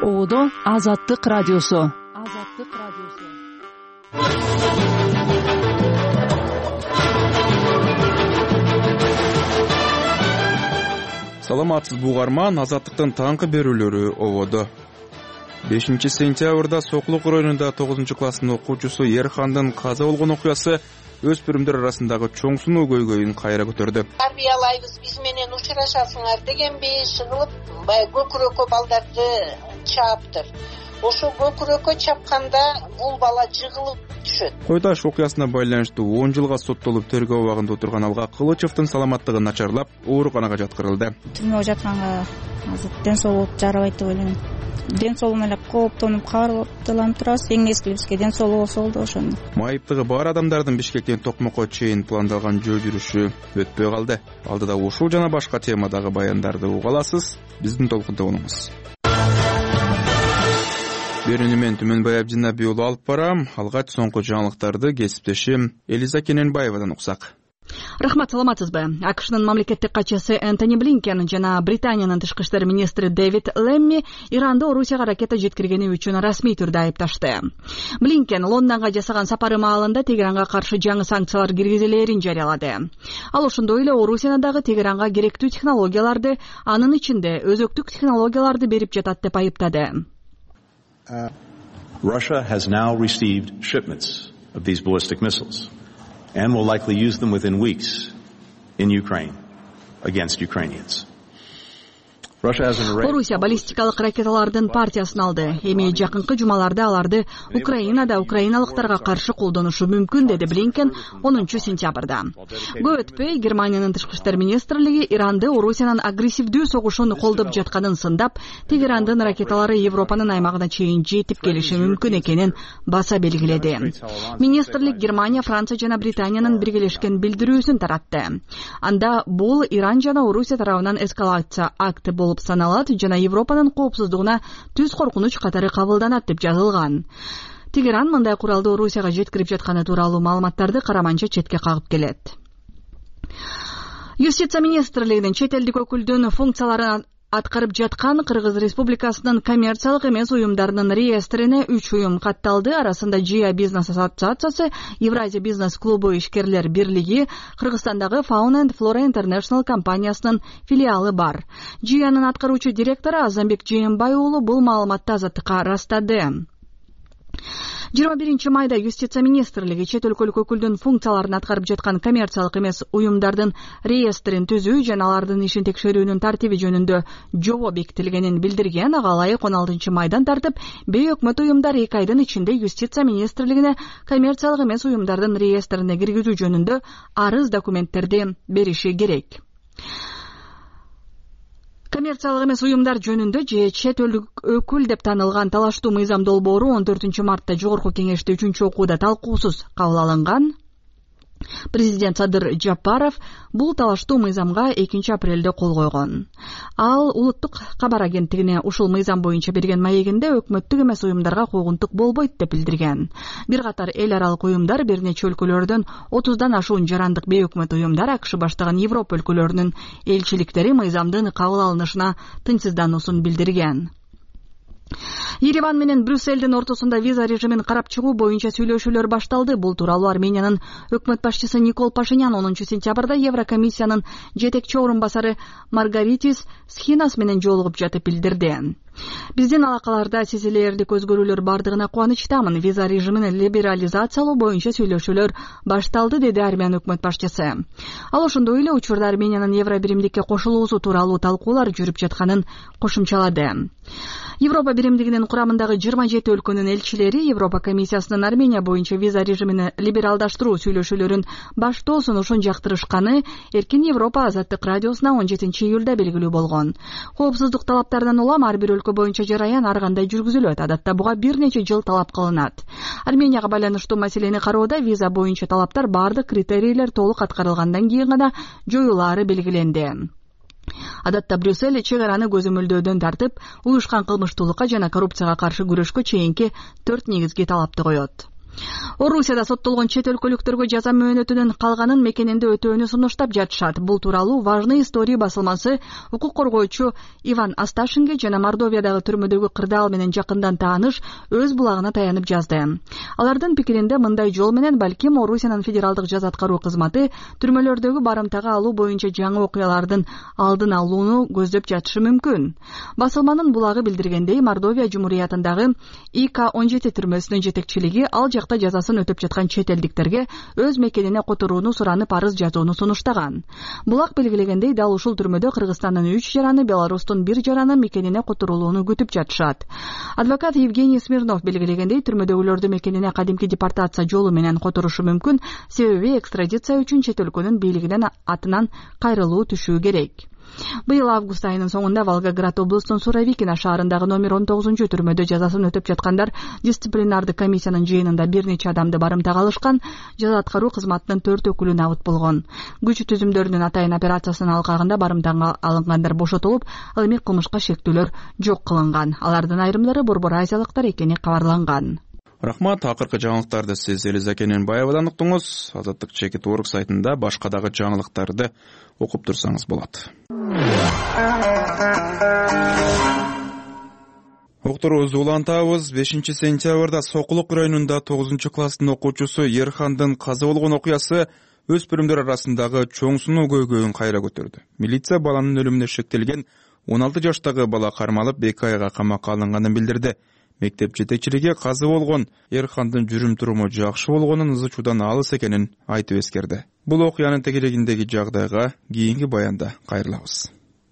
Оодо Азаттык радиосу. Саламатсызбы угарман, Азаттыктын таңкы берүүлөрү ободо. 5 сентябрда Соклук районунда 9 класстын окуучусу Ерхандын каза болгон окуясы өспүрүмдөр арасындагы чоң сунуу көйгөйүн кайра көтөрдү. Тарбиялайбыз, биз менен учурашасыңар дегенби шыгылып, көкүрөккө балдарды чааптыр. Ошо көкүрөккө чапканда бул бала жыгылып түшөт. Кой Таш окуясына байланыштуу 10 жылга соттолуп тергөө абагында отурган Алга Кылычевдин саламаттыгы начарлап, ооруканага жаткырылды. Түрмөгө жатканга азыр ден соолук жарабайт деп ойлойм. Ден соолугуна эле кооптонуп, каарылып турабыз. Эң эскибизге ден соолугу болсо болду ошону. Майыптыгы бар адамдардын Бишкектен Токмокко чейин пландалган жөө жүрүшү өтпөй калды. Алдыда ушул жана башка темадагы баяндарды уга аласыз. Биздин толкунда болуңуз. Берүүнү мен Түмөнбай Абдинабий уулу алып барам. Алгач соңку жаңылыктарды кесиптешим Элиза Кененбаевадан уксак. Рахмат, саламатсызбы? АКШнын мамлекеттик катчысы Энтони Блинкен жана Британиянын тышкы иштер министри Дэвид Лемми Иранды Орусияга ракета жеткиргени үчүн расмий түрдө айыпташты. Блинкен Лондонго жасаган сапары маалында Тегеранга каршы жаңы санкциялар киргизилээрин жарыялады. Ал ошондой эле Орусияны дагы Тегеранга керектүү технологияларды, анын ичинде өзөктүк технологияларды берип жатат деп айыптады. Russia has now received shipments of these ballistic missiles and will likely use them within weeks in Ukraine against Ukrainians. Орусия баллистикалык ракеталардын партиясын алды. Эми жакынкы жумаларда аларды Украинада украиналыктарга каршы колдонушу мүмкүн, деди Блинкен 10 сентябрда. Көп өтпөй Германиянын тышкы иштер министрлиги Иранды Орусиянын агрессивдүү согушун колдоп жатканын сындап, Тегерандын ракеталары Европанын аймагына чейин жетип келиши мүмкүн экенин баса белгиледи. Министрлик Германия, Франция жана Британиянын биргелешкен билдирүүсүн таратты. Анда бул Иран жана Орусия тарабынан эскалация акты болуп саналат жана Европанын коопсуздугуна түз коркунуч катары кабылданат деп жазылган. Тегеран мындай куралды Орусияга жеткирип жатканы тууралуу маалыматтарды караманча четке кагып келет. Юстиция министрлигинин чет элдик өкүлдүн функцияларын аткарып жаткан Кыргыз Республикасынын коммерциялык эмес уюмдарынын реестрине 3 уюм катталды. Арасында Жия бизнес ассоциациясы, Евразия бизнес клубу ишкерлер бирлиги, Кыргызстандагы Fauna and Flora International компаниясынын филиалы бар. Жиянын аткаруучу директору Азамбек Жээнбай уулу бул маалыматты Азаттыкка ырастады. 21 майда Юстиция министрлиги чет өлкөлүк өкүлдүн функцияларын аткарып жаткан коммерциялык эмес уюмдардын реестрин түзүү жана алардын ишин текшерүүнүн тартиби жөнүндө жобо бекитилгенин билдирген. Ага ылайык 16 майдан тартып, бейөкмөт уюмдар 2 айдын ичинде Юстиция министрлигине коммерциялык эмес уюмдардын реестрине киргизүү жөнүндө арыз документтерди бериши керек. Коммерциялык эмес уюмдар жөнүндө же чет элдик өкүл деп танылган талаштуу мыйзам долбоору 14 мартта жогорку кеңеште 3-окууда талкуусуз кабыл алынган. Президент Садыр Жапаров бул талаштуу мыйзамга 2 апрелде кол койгон. Ал улуттук кабар агенттигине ушул мыйзам боюнча берген маегинде өкмөттүк эмес уюмдарга куугунтук болбойт деп билдирген. Бир катар эл аралык уюмдар, бир нече өлкөлөрдөн 30дан ашуун жарандык бейөкмөт уюмдар, АКШ баштаган Европа өлкөлөрүнүн элчиликтери мыйзамдын кабыл алынышына тынчсыздануусун билдирген. Ереван менен Брюссельдин ортосунда виза режимин карап чыгуу боюнча сүйлөшүүлөр башталды. Бул тууралуу Армениянын өкмөт башчысы Никол Пашинян 10 сентябрда Еврокомиссиянын жетекчи орун басары Маргаритис Схинас менен жолугуп жатып билдирди. Биздин алакаларда сезилерлик өзгөрүүлөр бардыгына кубанычтамын. Виза режимин либерализациялоо боюнча сүйлөшүүлөр башталды, деди Армян өкмөт башчысы. Ал ошондой эле учурда Армениянын Евробиримдикке кошулуусу тууралуу талкуулар жүрүп жатканын кошумчалады. Европа биримдигинин курамындагы 27 өлкөнүн элчилери Европа комиссиясынын Армения боюнча виза режимин либералдаштыруу сүйлөшүүлөрүн баштоосун ошон жактырышканы Эркин Европа Азаттык радиосуна 17 июлда белгилүү болгон. Коопсуздук талаптарынан улам ар бир өлкө боюнча жараян ар кандай жүргүзүлөт. Адатта буга бир нече жыл талап кылынат. Арменияга байланыштуу маселени кароодо виза боюнча талаптар бардык критерийлер толук аткарылгандан кийин гана жоюлаары белгиленди. Адатта Брюссель чек араны көзөмөлдөөдөн тартып, уюшкан кылмыштуулукка жана коррупцияга каршы күрөшкө чейинки 4 негизги талапты коет. Орусияда соттолгон чет өлкөлүктөргө жаза мөөнөтүнүн калганын мекенинде өтөөнү сунуштап жатышат. Бул тууралуу Важные истории басылмасы укук коргоочу Иван Асташинге жана Мордовиядагы түрмөдөгү кырдаал менен жакындан тааныш өз булагына таянып жазды. Алардын пикиринде мындай жол менен балким Орусиянын федералдык жаза аткаруу кызматы түрмөлөрдөгү барымтага алуу боюнча жаңы окуялардын алдын алууну көздөп жатышы мүмкүн. Басылманын булагы билдиргендей, Мордовия Жумуриятындагы ИК-17 түрмөсүнүн жетекчилиги ал жакта жазасын өтөп жаткан чет элдиктерге өз мекенине которууну суранып арыз жазууну сунуштаган. Булак белгилегендей, дал ушул түрмөдө Кыргызстандын 3 жараны, Беларустун 1 жараны мекенине которулууну күтүп жатышат. Адвокат Евгений Смирнов белгилегендей, түрмөдөгүлөрдү мекенине кадимки депортация жолу менен которушу мүмкүн, себеби экстрадиция үчүн чет өлкөнүн бийлигинин атынан кайрылуу түшүү керек. Быйыл август айынын соңунда Волгоград облусунун Суровикино шаарындагы номер 19 түрмөдө жазасын өтөп жаткандар дисциплинардык комиссиянын жыйынында бир нече адамды барымтага алышкан. Жаза аткаруу кызматынын 4 өкүлү набыт болгон. Күч түзүмдөрүнүн атайын операциясынын алкагында барымтага алынгандар бошотулуп, ал эми кылмышка шектүүлөр жок кылынган. Алардын айрымдары Борбор Азиялыктар экени кабарланган. Рахмат. Акыркы жаңылыктарды сиз Элиза Кененбаевадан уктуңуз. Азаттык чекит орг сайтында башка дагы жаңылыктарды окуп турсаңыз болот. Уктуруубузду улантабыз. 5-сентябрда Сокулук районунда 9-класстын окуучусу Ерхандын каза болгон окуясы өспүрүмдөр арасындагы чоң сунуу көйгөйүн кайра көтөрдү. Милиция баланын өлүмүнө шектелген 16 жаштагы бала кармалып 2 айга камакка алынганын билдирди. Мектеп жетекчилиги каза болгон Ерхандын жүрүм туруму жакшы болгонун, ызы чуудан алыс экенин айтып эскерди. Бул окуянын тегерегиндеги жагдайга кийинки баянда кайрылабыз.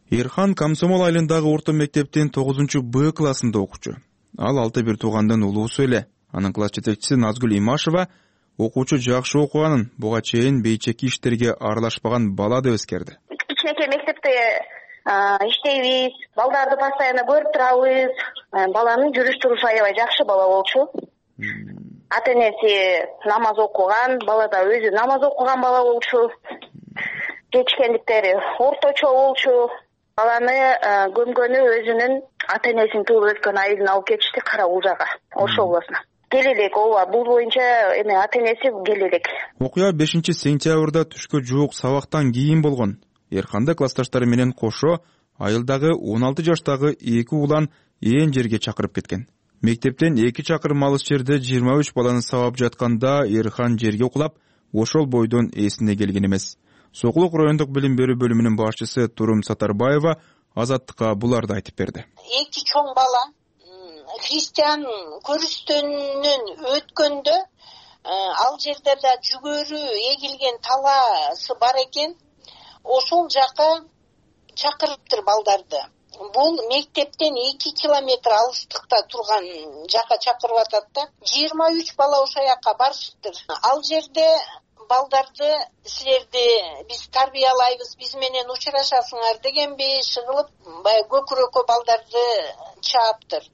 Ерхан Комсомол айылындагы орто мектептин 9-Б классында окуучу. Ал 6 туугандын улуусу эле. Анын класс жетекчиси Назгүл Имашева окуучу жакшы окуганын, буга чейин бейчеки иштерге аралашпаган бала деп эскерди. Кичинекей мектепте иштейбиз, балдарды постоянно көрүп турабыз. Баланын жүрүш турушу аябай жакшы бала болчу. Ата-энеси намаз окуган, бала да өзү намаз окуган бала болчу. Жетишкендиктери орточо болчу. Баланы көмгөнү өзүнүн ата-энесинин туулуп өткөн айылына алып кетишти, Кара-Уулжага, Ош областына. Келелек, ооба, бул боюнча эми ата-энеси келелек. Окуя 5-сентябрда түшкө жуук сабактан кийин болгон. Ерханды классташтары менен кошо айылдагы 16 жаштагы 2 улан ээн жерге чакырып кеткен. Мектептен 2 чакырым алыс жерде 23 баланы сабап жатканда Ерхан жерге кулап, ошол бойдон эсине келген эмес. Сокулук райондук билим берүү бөлүмүнүн башчысы Турум Сатарбаева Азаттыкка буларды айтып берди. 2 чоң бала христиан көрүстөнүнөн өткөндө ал жерде да жүгөрү эгилген талаасы бар экен. Ошол жака чакырыптыр балдарды. Бул мектептен 2 километр алыстыкта турган жака чакырып атат да. 23 бала ошол жака барышыптыр. Ал жерде балдарды силерди биз тарбиялайбыз, биз менен учурашасыңар дегенби шыгылып, баягы көкүрөккө балдарды чааптыр.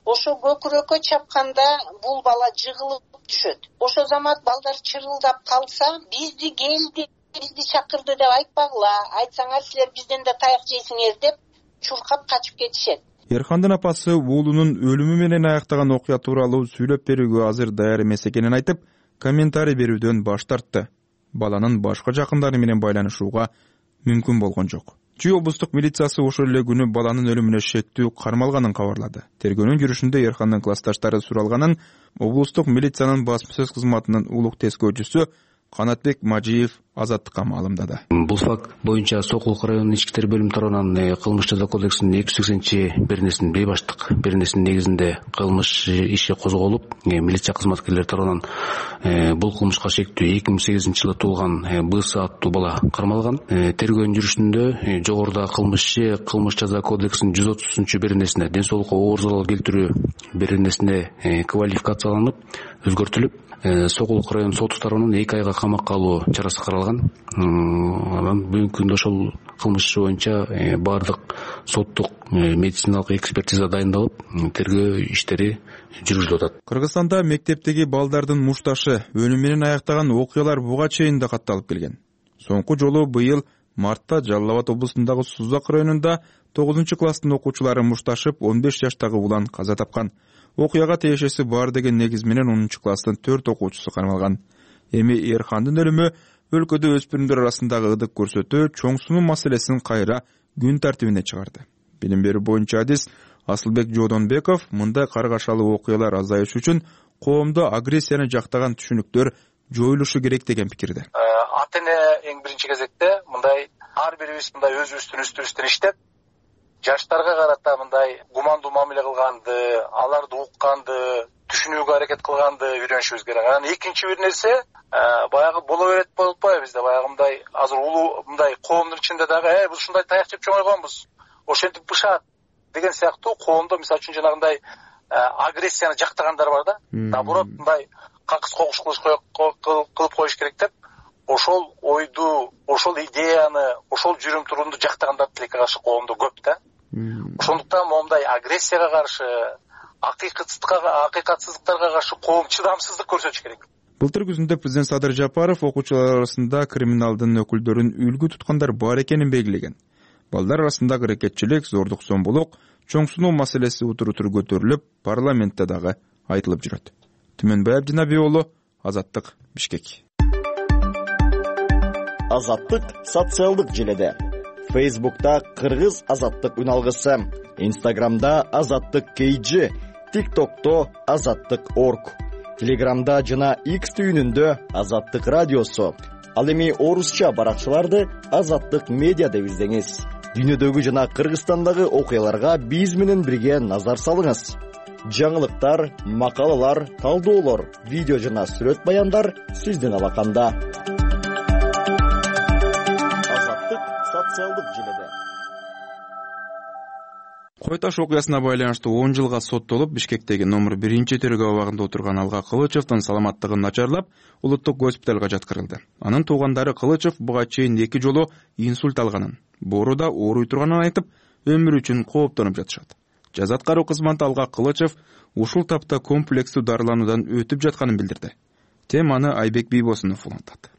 Ошо көкүрөккө чапканда бул бала жыгылып түшөт. Ошо замат балдар чырылдап калса, бизди келди, бизди чакырды деп айтпагыла, айтсаңар силер бизден да таяк жейсиңер деп чуркап качып кетишет. Ерхандын апасы уулунун өлүмү менен аяктаган окуя тууралуу сүйлөп берүүгө азыр даяр эмес экенин айтып, комментарий берүүдөн баш тартты. Баланын башка жакындары менен байланышууга мүмкүн болгон жок. Чүй облустук милициясы ошол эле күнү баланын өлүмүнө шектүү кармалганын кабарлады. Тергөөнүн жүрүшүндө Ерхандын классташтары суралганын облустук милициянын басма сөз кызматынын улук тескөөчүсү Канатбек Мажиев Азаттыкка маалымдады. Бул факт боюнча Сокулук районунун ички иштер бөлүмү тарабынан кылмыш жаза кодексинин 280-бернесинин бейбаштык беренесинин негизинде кылмыш иши козголуп, милиция кызматкерлери тарабынан бул кылмышка шектүү 2008-жылы туулган БС аттуу бала кармалган. Тергөөнүн жүрүшүндө жогоруда кылмыш жаза кодексинин 130-беренесине, ден соолукка оор залал келтирүү беренесине квалификацияланып, өзгөртүлүп, Сокулук район соту тарабынан 2 айга камакка алуу чарасы каралган. Бүгүнкү күндө ошол кылмыш боюнча баардык соттук медициналык экспертиза дайындалып, тергөө иштери жүргүзүлүп атат. Кыргызстанда мектептеги балдардын мушташы, өлүм менен аяктаган окуялар буга чейин да катталып келген. Соңку жолу быйыл мартта Жалал Абад облусундагы Сузак районунда 9-класстын окуучулары мушташып 15 жаштагы улан каза тапкан. окуяга тиешеси бар деген негиз менен 10-класстын 4 окуучусу камалган. Эми Эрхандын өлүмү өлкөдө өспүрүмдөр арасындагы ыдык көрсөтүү чоң сунуу маселесин кайра күн тартибине чыгарды. Билим берүү боюнча адис Асылбек Жодонбеков мындай каргашалуу окуялар азайыш үчүн коомдо агрессияны жактаган түшүнүктөр жоюлушу керек деген пикирде. Ата эне эң биринчи кезекте мындай ар бирибиз мындай өзүбүздүн үстүбүздөн иштеп, жаштарга карата мындай гумандуу мамиле кылганды, аларды укканды, түшүнүүгө аракет кылганды үйрөнүшүбүз керек. Анан экинчи бир нерсе, баягы боло берет болуп атпайбы бизде баягы мындай азыр улуу мындай коомдун ичинде дагы биз ушундай таяк жеп чоңойгонбуз, ошентип бышат деген сыяктуу коомдо мисалы үчүн жанагындай агрессияны жактагандар бар да. Наоборот мындай какыс когуш кылып коюш керек деп, ошол ойду, ошол идеяны, ошол жүрүм турумду жактагандар тилекке каршы коомдо көп да. Ошондуктан момундай агрессияга каршы, акыйкатсыздыктарга каршы коом чыдамсыздык көрсөтүш керек. Былтыр күзүндө президент Садыр Жапаров окуучулар арасында криминалдын өкүлдөрүн үлгү туткандар бар экенин белгилеген. Балдар арасындагы аракетчилик, зордук зомбулук, чоң сунуу маселеси утур-утур көтөрүлүп, парламентте дагы айтылып жүрөт. Түмөнбай Абдинабий уулу, Азаттык, Бишкек. Азаттык социалдык желеде. Facebook'ta Кыргыз Азаттык үналгысы, Instagram'da Азаттык KG, TikTok'ta Азаттык.org, Telegram'da жана X түйүнүндө Азаттык радиосу. Ал эми орусча баракчаларды Азаттык медиа деп издеңиз. Дүйнөдөгү жана Кыргызстандагы окуяларга биз менен бирге назар салыңыз. Жаңылыктар, макалалар, талдоолор, видео жана сүрөт баяндар сиздин алаканда. Азаттык социалдык желеде. Кой Таш окуясына байланыштуу 10 жылга соттолуп, Бишкектеги номер 1 тергөө абагында отурган Алга Кылычевдин саламаттыгы начарлап, улуттук госпиталга жаткырылды. Анын туугандары Кылычев буга чейин 2 жолу инсульт алганын, бооруда ооруй турганын айтып, өмүрү үчүн кооптонуп жатышат. Жаза аткаруу кызматы Алга Кылычев ушул тапта комплекстүү дарылануудан өтүп жатканын билдирди. Теманы Айбек Бийбосунов улантат.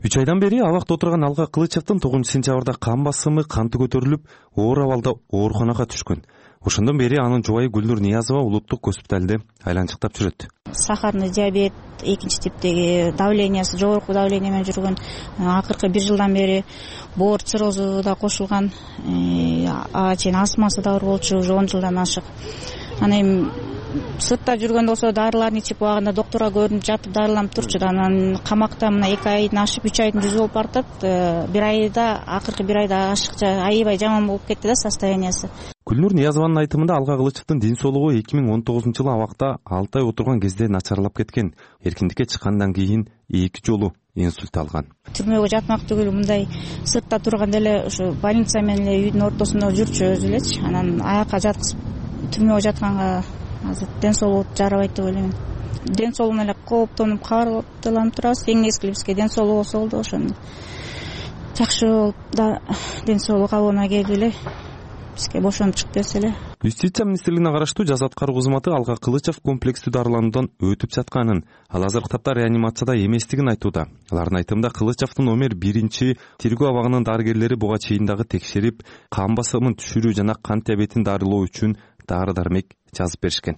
3 айдан бери абакта отурган Алга Кылычевдин 9-сентябрда кан басымы канты көтөрүлүп, оор абалда ооруканага түшкөн. Ошондон бери анын жубайы Гүлнур Ниязова улуттук госпиталде айланчыктап жүрөт. Сахарный диабет, экинчи типтеги давлениясы жогорку давление менен жүргөн, акыркы 1 жылдан бери боор циррозу да кошулган, чейин астмасы да бар болчу, уже 10 жылдан ашык. Анан эми сыртта жүргөндө болсо дарыларын ичип убагында доктурга көрүнүп жатып дарыланып турчу. Анан камакта мына 2 айдын ашып 3 айдын жүзү болуп бартат. 1 айда, акыркы 1 айда ашыкча аябай жаман болуп кетти да состояниясы. Гүлнур Ниязованын айтымында Алга Кылычевдин ден соолугу 2019-жылы абакта 6 ай отурган кезде начарлап кеткен. Эркиндикке чыккандан кийин 2 жолу инсульт алган. Түрмөгө жатмак түгүл мындай сыртта турганда эле ушу больница менен эле үйдүн ортосунда жүрчү өзү элечи. Анан аяка жаткызып түрмөгө жатканга азыр ден соолугу жарабайт деп ойлойм. Ден соолугуна эле кооптонуп, каарылып турабыз. Эң нечкели бизге ден соолугу болсо болду, ошону жакшы болуп да ден соолугу кабылына келип эле бизге бошонуп чыгып берсе эле. Юстиция министрлигине караштуу жаза аткаруу кызматы Алга Кылычев комплекстүү дарылануудан өтүп жатканын, ал азыркы тапта реанимацияда эместигин айтууда. Алардын айтымында Кылычевдин номер 1 тергөө абагынын дарыгерлери буга чейин дагы текшерип, кан басымын түшүрүү жана кант диабетин дарылоо үчүн дары-дармек жазып беришкен.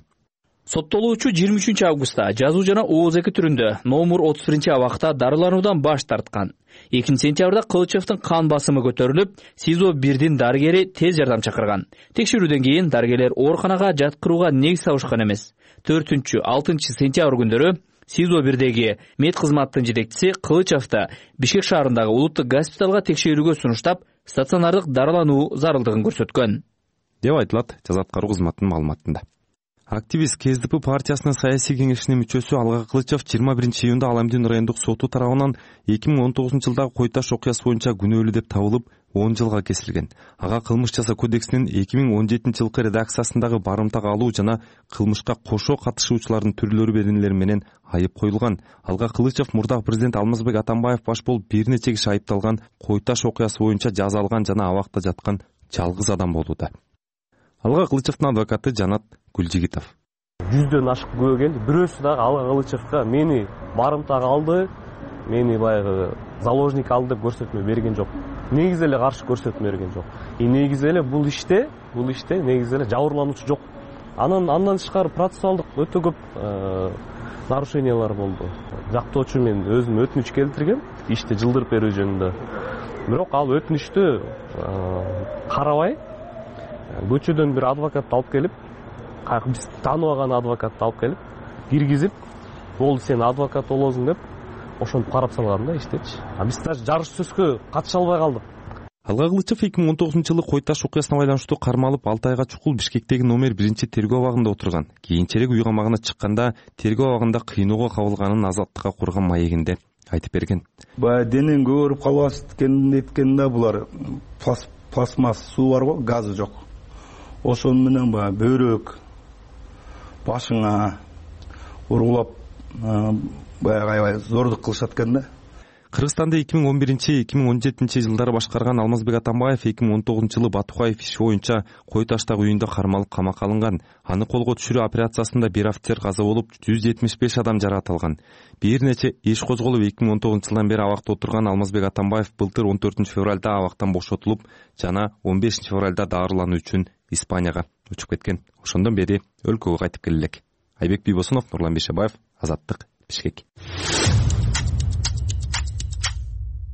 Соттолуучу 23 августта жазуу жана ооз эки түрүндө номер 31 абакта дарылануудан баш тарткан. 2 сентябрда Кылычевдин кан басымы көтөрүлүп, СИЗО 1-дин дарыгери тез жардам чакырган. Текшерүүдөн кийин дарыгерлер ооруканага жаткырууга негиз табышкан эмес. 4-6 сентябрь күндөрү СИЗО 1-деги мед кызматтын жетекчиси Кылычевди Бишкек шаарындагы улуттук госпиталга текшерүүгө сунуштап, стационардык дарылануу зарылдыгын көрсөткөн деп айтылат жаза аткаруу кызматынын маалыматында. Активист КСДП партиясынын саясий кеңешинин мүчөсү Алга Кылычев 21 июнда Аламдин райондук соту тарабынан 2019-жылдагы Кой Таш окуясы боюнча күнөөлүү деп табылып 10 жылга кесилген. Ага кылмыш жаза кодексинин 2017-жылкы редакциясындагы барымтага алуу жана кылмышка кошо катышуучулардын түрлөрү беренелери менен айып коюлган. Алга Кылычев мурдагы президент Алмазбек Атамбаев баш болуп бир нече киши айыпталган Кой Таш окуясы боюнча жаза алган жана абакта жаткан жалгыз адам болууда. Алга Кылычевдин адвокаты Жанат Гүлжигитов. 100дөн ашык күбө келди. Бирөөсү дагы Алга Кылычевга мени барымтага алды, мени баягы заложник алды деп көрсөтмө берген жок. Негизи эле каршы көрсөтмө берген жок. Негизи эле бул иште негизи эле жабырлануучу жок. Андан тышкары процессуалдык өтө көп нарушениялар болду. Жактоочу мен өзүм өтүнүч келтиргем ишти жылдырып берүү жөнүндө. Бирок ал өтүнүчтү карабай көчөдөн бир адвокатты алып келип, биз тааныбаган адвокатты алып келип, киргизип, болду сен адвокат болосуң деп ошентип карап салган да иштечи. Биз даже жарыш сөзгө катыша албай калдык. Алга Кылычев 2019-жылы Кой Таш окуясына байланыштуу кармалып 6 айга чукул Бишкектеги номер 1 тергөө абагында отурган. Кийинчерээк үй камагына чыкканда тергөө абагында кыйноого кабылганын азаттыкка курган маегинде айтып берген. Баягы денең көрүп калбасын да булар пластмасс суу бар го, газы жок. Ошон менен баягы бөйрөк башыңа ургулап баягы аябай зордук кылышат экен да. Кыргызстанды 2011-2017 жылдары башкарган Алмазбек Атамбаев 2019-жылы Батукаев иши боюнча Кой Таштагы үйүндө кармалып камакка алынган. Аны колго түшүрүү операциясында бир офицер каза болуп, 175 адам жаракат алган. Бир нече иш козголуп 2019-жылдан бери абакта отурган Алмазбек Атамбаев былтыр 14 февралда абактан бошотулуп, жана 15 февралда дарылануу үчүн Испанияга учуп кеткен. Ошондон бери өлкөгө кайтып келе элек. Айбек Бийбосунов, Нурлан Бейшебаев, Азаттык, Бишкек.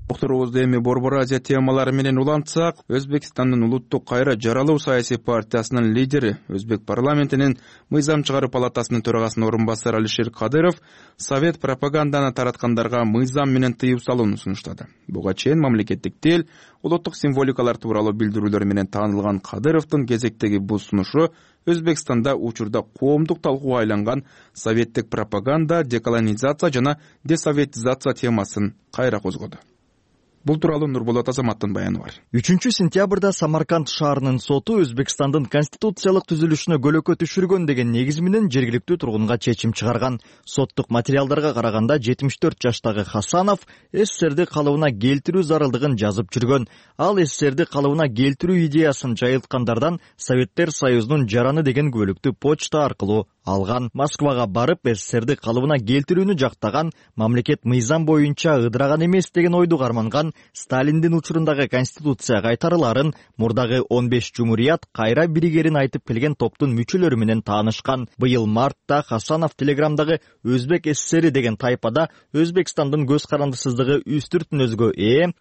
Докторубузду эми Борбор Азия темалары менен улантсак, Өзбекстандын улуттук кайра жаралуу саясий партиясынын лидери, Өзбек парламентинин мыйзам чыгаруу палатасынын төрагасынын орун басары Алишер Кадыров совет пропаганданы тараткандарга мыйзам менен тыюу салууну сунуштады. Буга чейин мамлекеттик тил, улуттук символикалар тууралуу билдирүүлөр менен таанылган Кадыровдун кезектеги бул сунушу Өзбекстанда учурда коомдук талкууга айланган советтик пропаганда, деколонизация жана десоветизация темасын кайра козгоду. Бул тууралуу Нурболот Азаматтын баяны бар. 3-сентябрда Самарканд шаарынын соту Өзбекстандын конституциялык түзүлүшүнө көлөкө түшүргөн деген негиз менен жергиликтүү тургунга чечим чыгарган. Соттук материалдарга караганда 74 жаштагы Хасанов СССРди калыбына келтирүү зарылдыгын жазып жүргөн. Ал СССРди калыбына келтирүү идеясын жайылткандардан Советтер Союзунун жараны деген күбөлүктү почта аркылуу алган. Москвага барып СССРди калыбына келтирүүнү жактаган, мамлекет мыйзам боюнча ыдыраган эмес деген ойду карманган, Сталиндин учурундагы конституция кайтарыларын, мурдагы 15 жумурият кайра биригерин айтып келген топтун мүчөлөрү менен таанышкан. Быйыл мартта Хасанов Телеграмдагы Өзбек СССР деген тайпада Өзбекстандын көз карандысыздыгы үстүртүнөзгө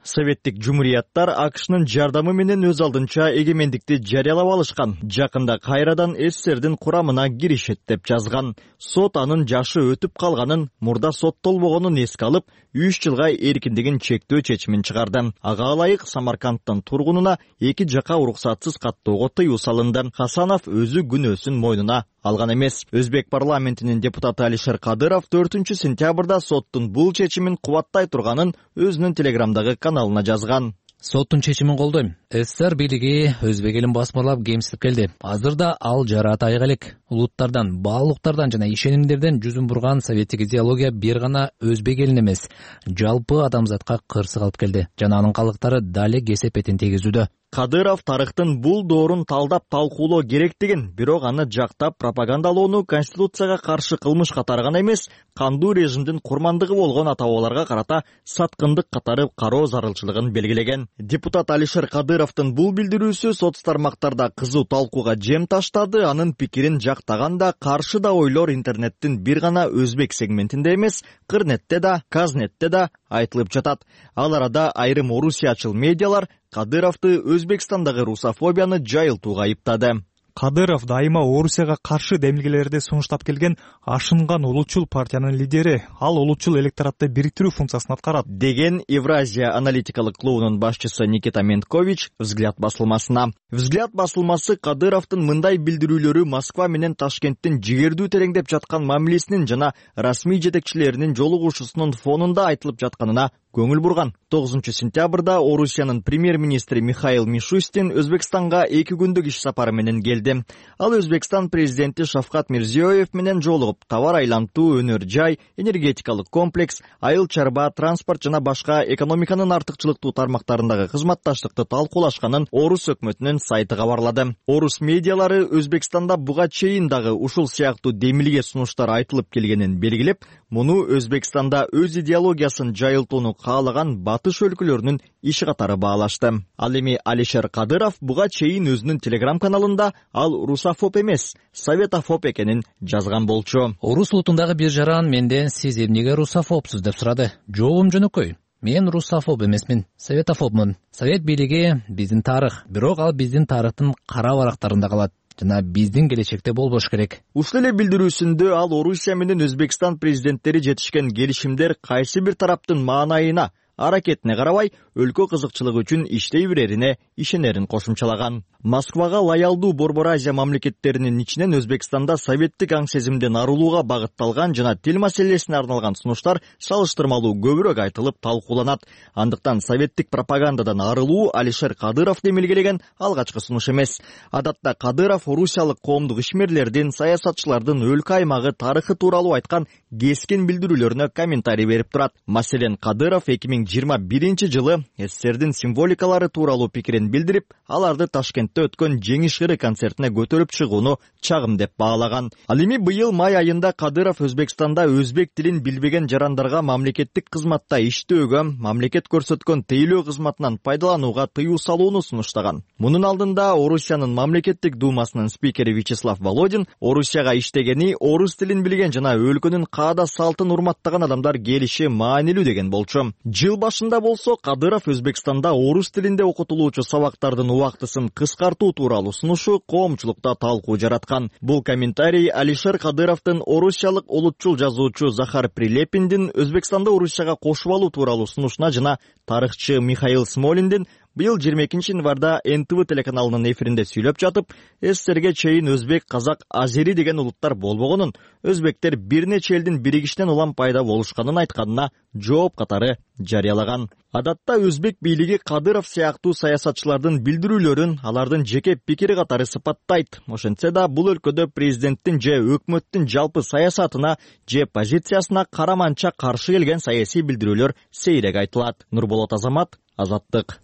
советтик жумурияттар АКШнын жардамы менен өз алдынча эгемендикти жарыялап алышкан. Жакында кайрадан СССРдин курамына киришет деп жазган. Сот анын жашы өтүп калганын, мурда соттолбогонун эске алып, 3 жылга эркиндигин чектөө чечимин чыгарды. Ага ылайык Самаркандтын тургунуна 2 жака уруксатсыз каттоого тыюу салынды. Хасанов өзү күнөөсүн мойнуна алган эмес. Өзбек парламентинин депутаты Алишер Кадыров 4-сентябрда соттун бул чечимин кубаттай турганын өзүнүн Телеграмдагы каналына жазган. Соттун чечимин колдойм. СССР бийлиги өзбек элин басмырлап кемсип келди. Азырда ал жараатайга элек. Улуттардан, баалуулуктардан жана ишенимдерден жүзүн бурган советтик идеология бир гана өзбек элин эмес, жалпы адамзатка кырсык алып келди. Жана анын калдыктары дале кесепетин тийгизүүдө. Кадыров тарыхтын бул доорун талдап талкуулоо керектигин, бирок аны жактап пропагандалоону конституцияга каршы кылмыш катары гана эмес, кандуу режимдин курмандыгы болгон ата-бабаларга карата саткындык катары кароо зарылчылыгын белгилеген. Депутат Алишер Кадыровдун бул билдирүүсү соц тармактарда кызуу талкууга жем таштады. Анын пикирин жактаганда каршы да ойлор интернеттин бир гана өзбек сегментинде эмес, Кырнетте да, Казнетте да айтылып жатат. Ал арада айрым орусиячыл медиалар Кадыровду Өзбекстандагы русофобияны жайылтууга айыптады. Кадыров дайыма Орусияга каршы демилгелерди сунуштап келген ашынган улутчул партиянын лидери. Ал улутчул электоратты бириктирүү функциясын аткарат, деген Евразия аналитикалык клубунун башчысы Никита Менткович Взгляд басылмасына. Взгляд басылмасы Кадыровдун мындай билдирүүлөрү Москва менен Ташкенттин жигердүү тереңдеп жаткан мамилесинин жана расмий жетекчилеринин жолугушуусунун фонунда айтылып жатканына көңүл бурган. 9-сентябрда Орусиянын премьер-министри Михаил Мишустин Өзбекстанга 2 күндүк иш сапары менен келди. Ал Өзбекстан президенти Шавкат Мирзиёев менен жолугуп, товар айлантуу, өнөр жай, энергетикалык комплекс, айыл чарба, транспорт жана башка экономиканын артыкчылыктуу тармактарындагы кызматташтыкты талкуулашканын Орус өкмөтүнүн сайты кабарлады. Орус медиалары Өзбекстанда буга чейин дагы ушул сыяктуу демилге сунуштар айтылып келгенин белгилеп, муну Өзбекстанда өз идеологиясын жайылтууну каалаган батыш өлкөлөрүнүн иш катары баалашты. Ал эми Алишер Кадыров буга чейин өзүнүн телеграм каналында ал русофоб эмес, советофоб экенин жазган болчу. Орус улутундагы бир жаран менден сиз эмнеге русофобсуз деп сурады. Жообум жөнөкөй. Мен русофоб эмесмин, советофобмун. Совет бийлиги биздин тарых, бирок ал биздин тарыхтын кара барактарында калат жана биздин келечекте болбош керек. Ушул эле билдирүүсүндө ал Орусия менен Өзбекстан президенттери жетишкен келишимдер кайсы бир тараптын маанайына, аракетине карабай өлкө кызыкчылыгы үчүн иштей берерине ишенерин кошумчалаган. Москвага лоялдуу Борбор Азия мамлекеттеринин ичинен Өзбекстанда советтик аң сезимден арылууга багытталган жана тил маселесине арналган сунуштар салыштырмалуу көбүрөөк айтылып талкууланат. Андыктан советтик пропагандадан арылуу Алишер Кадыров демилгелеген алгачкы сунуш эмес. Адатта Кадыров орусиялык коомдук ишмерлердин, саясатчылардын өлкө аймагы тарыхы тууралуу айткан кескин билдирүүлөрүнө комментарий берип турат. Маселен, Кадыров 2021 жылы СССРдин символикалары тууралуу пикирин билдирип, аларды Ташкентте өткөн Жеңиш ыры концертине көтөрүп чыгууну чагым деп баалаган. Ал эми быйыл май айында Кадыров Өзбекстанда өзбек тилин билбеген жарандарга мамлекеттик кызматта иштөөгө, мамлекет көрсөткөн тейлөө кызматынан пайдаланууга тыюу салууну сунуштаган. Мунун алдында Орусиянын мамлекеттик думасынын спикери Вячеслав Володин Орусияга иштегени, орус тилин билген жана өлкөнүн каада салтын урматтаган адамдар келиши маанилүү деген болчу. Жыл башында болсо Кадыров Өзбекстанда орус тилинде окутулуучу сабактардын убактысын кыскартуу тууралуу сунушу коомчулукта талкуу жараткан. Бул комментарий Алишер Кадыровдун орусиялык улутчул жазуучу Захар Прилепиндин Өзбекстанды Орусияга кошуп алуу тууралуу сунушуна жана тарыхчы Михаил Смолиндин быйыл 22 январда НТВ телеканалынын эфиринде сүйлөп жатып, СССРге чейин өзбек, казак, азери деген улуттар болбогонун, өзбектер бир нече элдин биригишинен улам пайда болушканын айтканына жооп катары жарыялаган. Адатта өзбек бийлиги Кадыров сыяктуу саясатчылардын билдирүүлөрүн алардын жеке пикири катары сыпаттайт. Ошентсе да бул өлкөдө президенттин же өкмөттүн жалпы саясатына же позициясына караманча каршы келген саясий билдирүүлөр сейрек айтылат. Нурболот Азамат, Азаттык.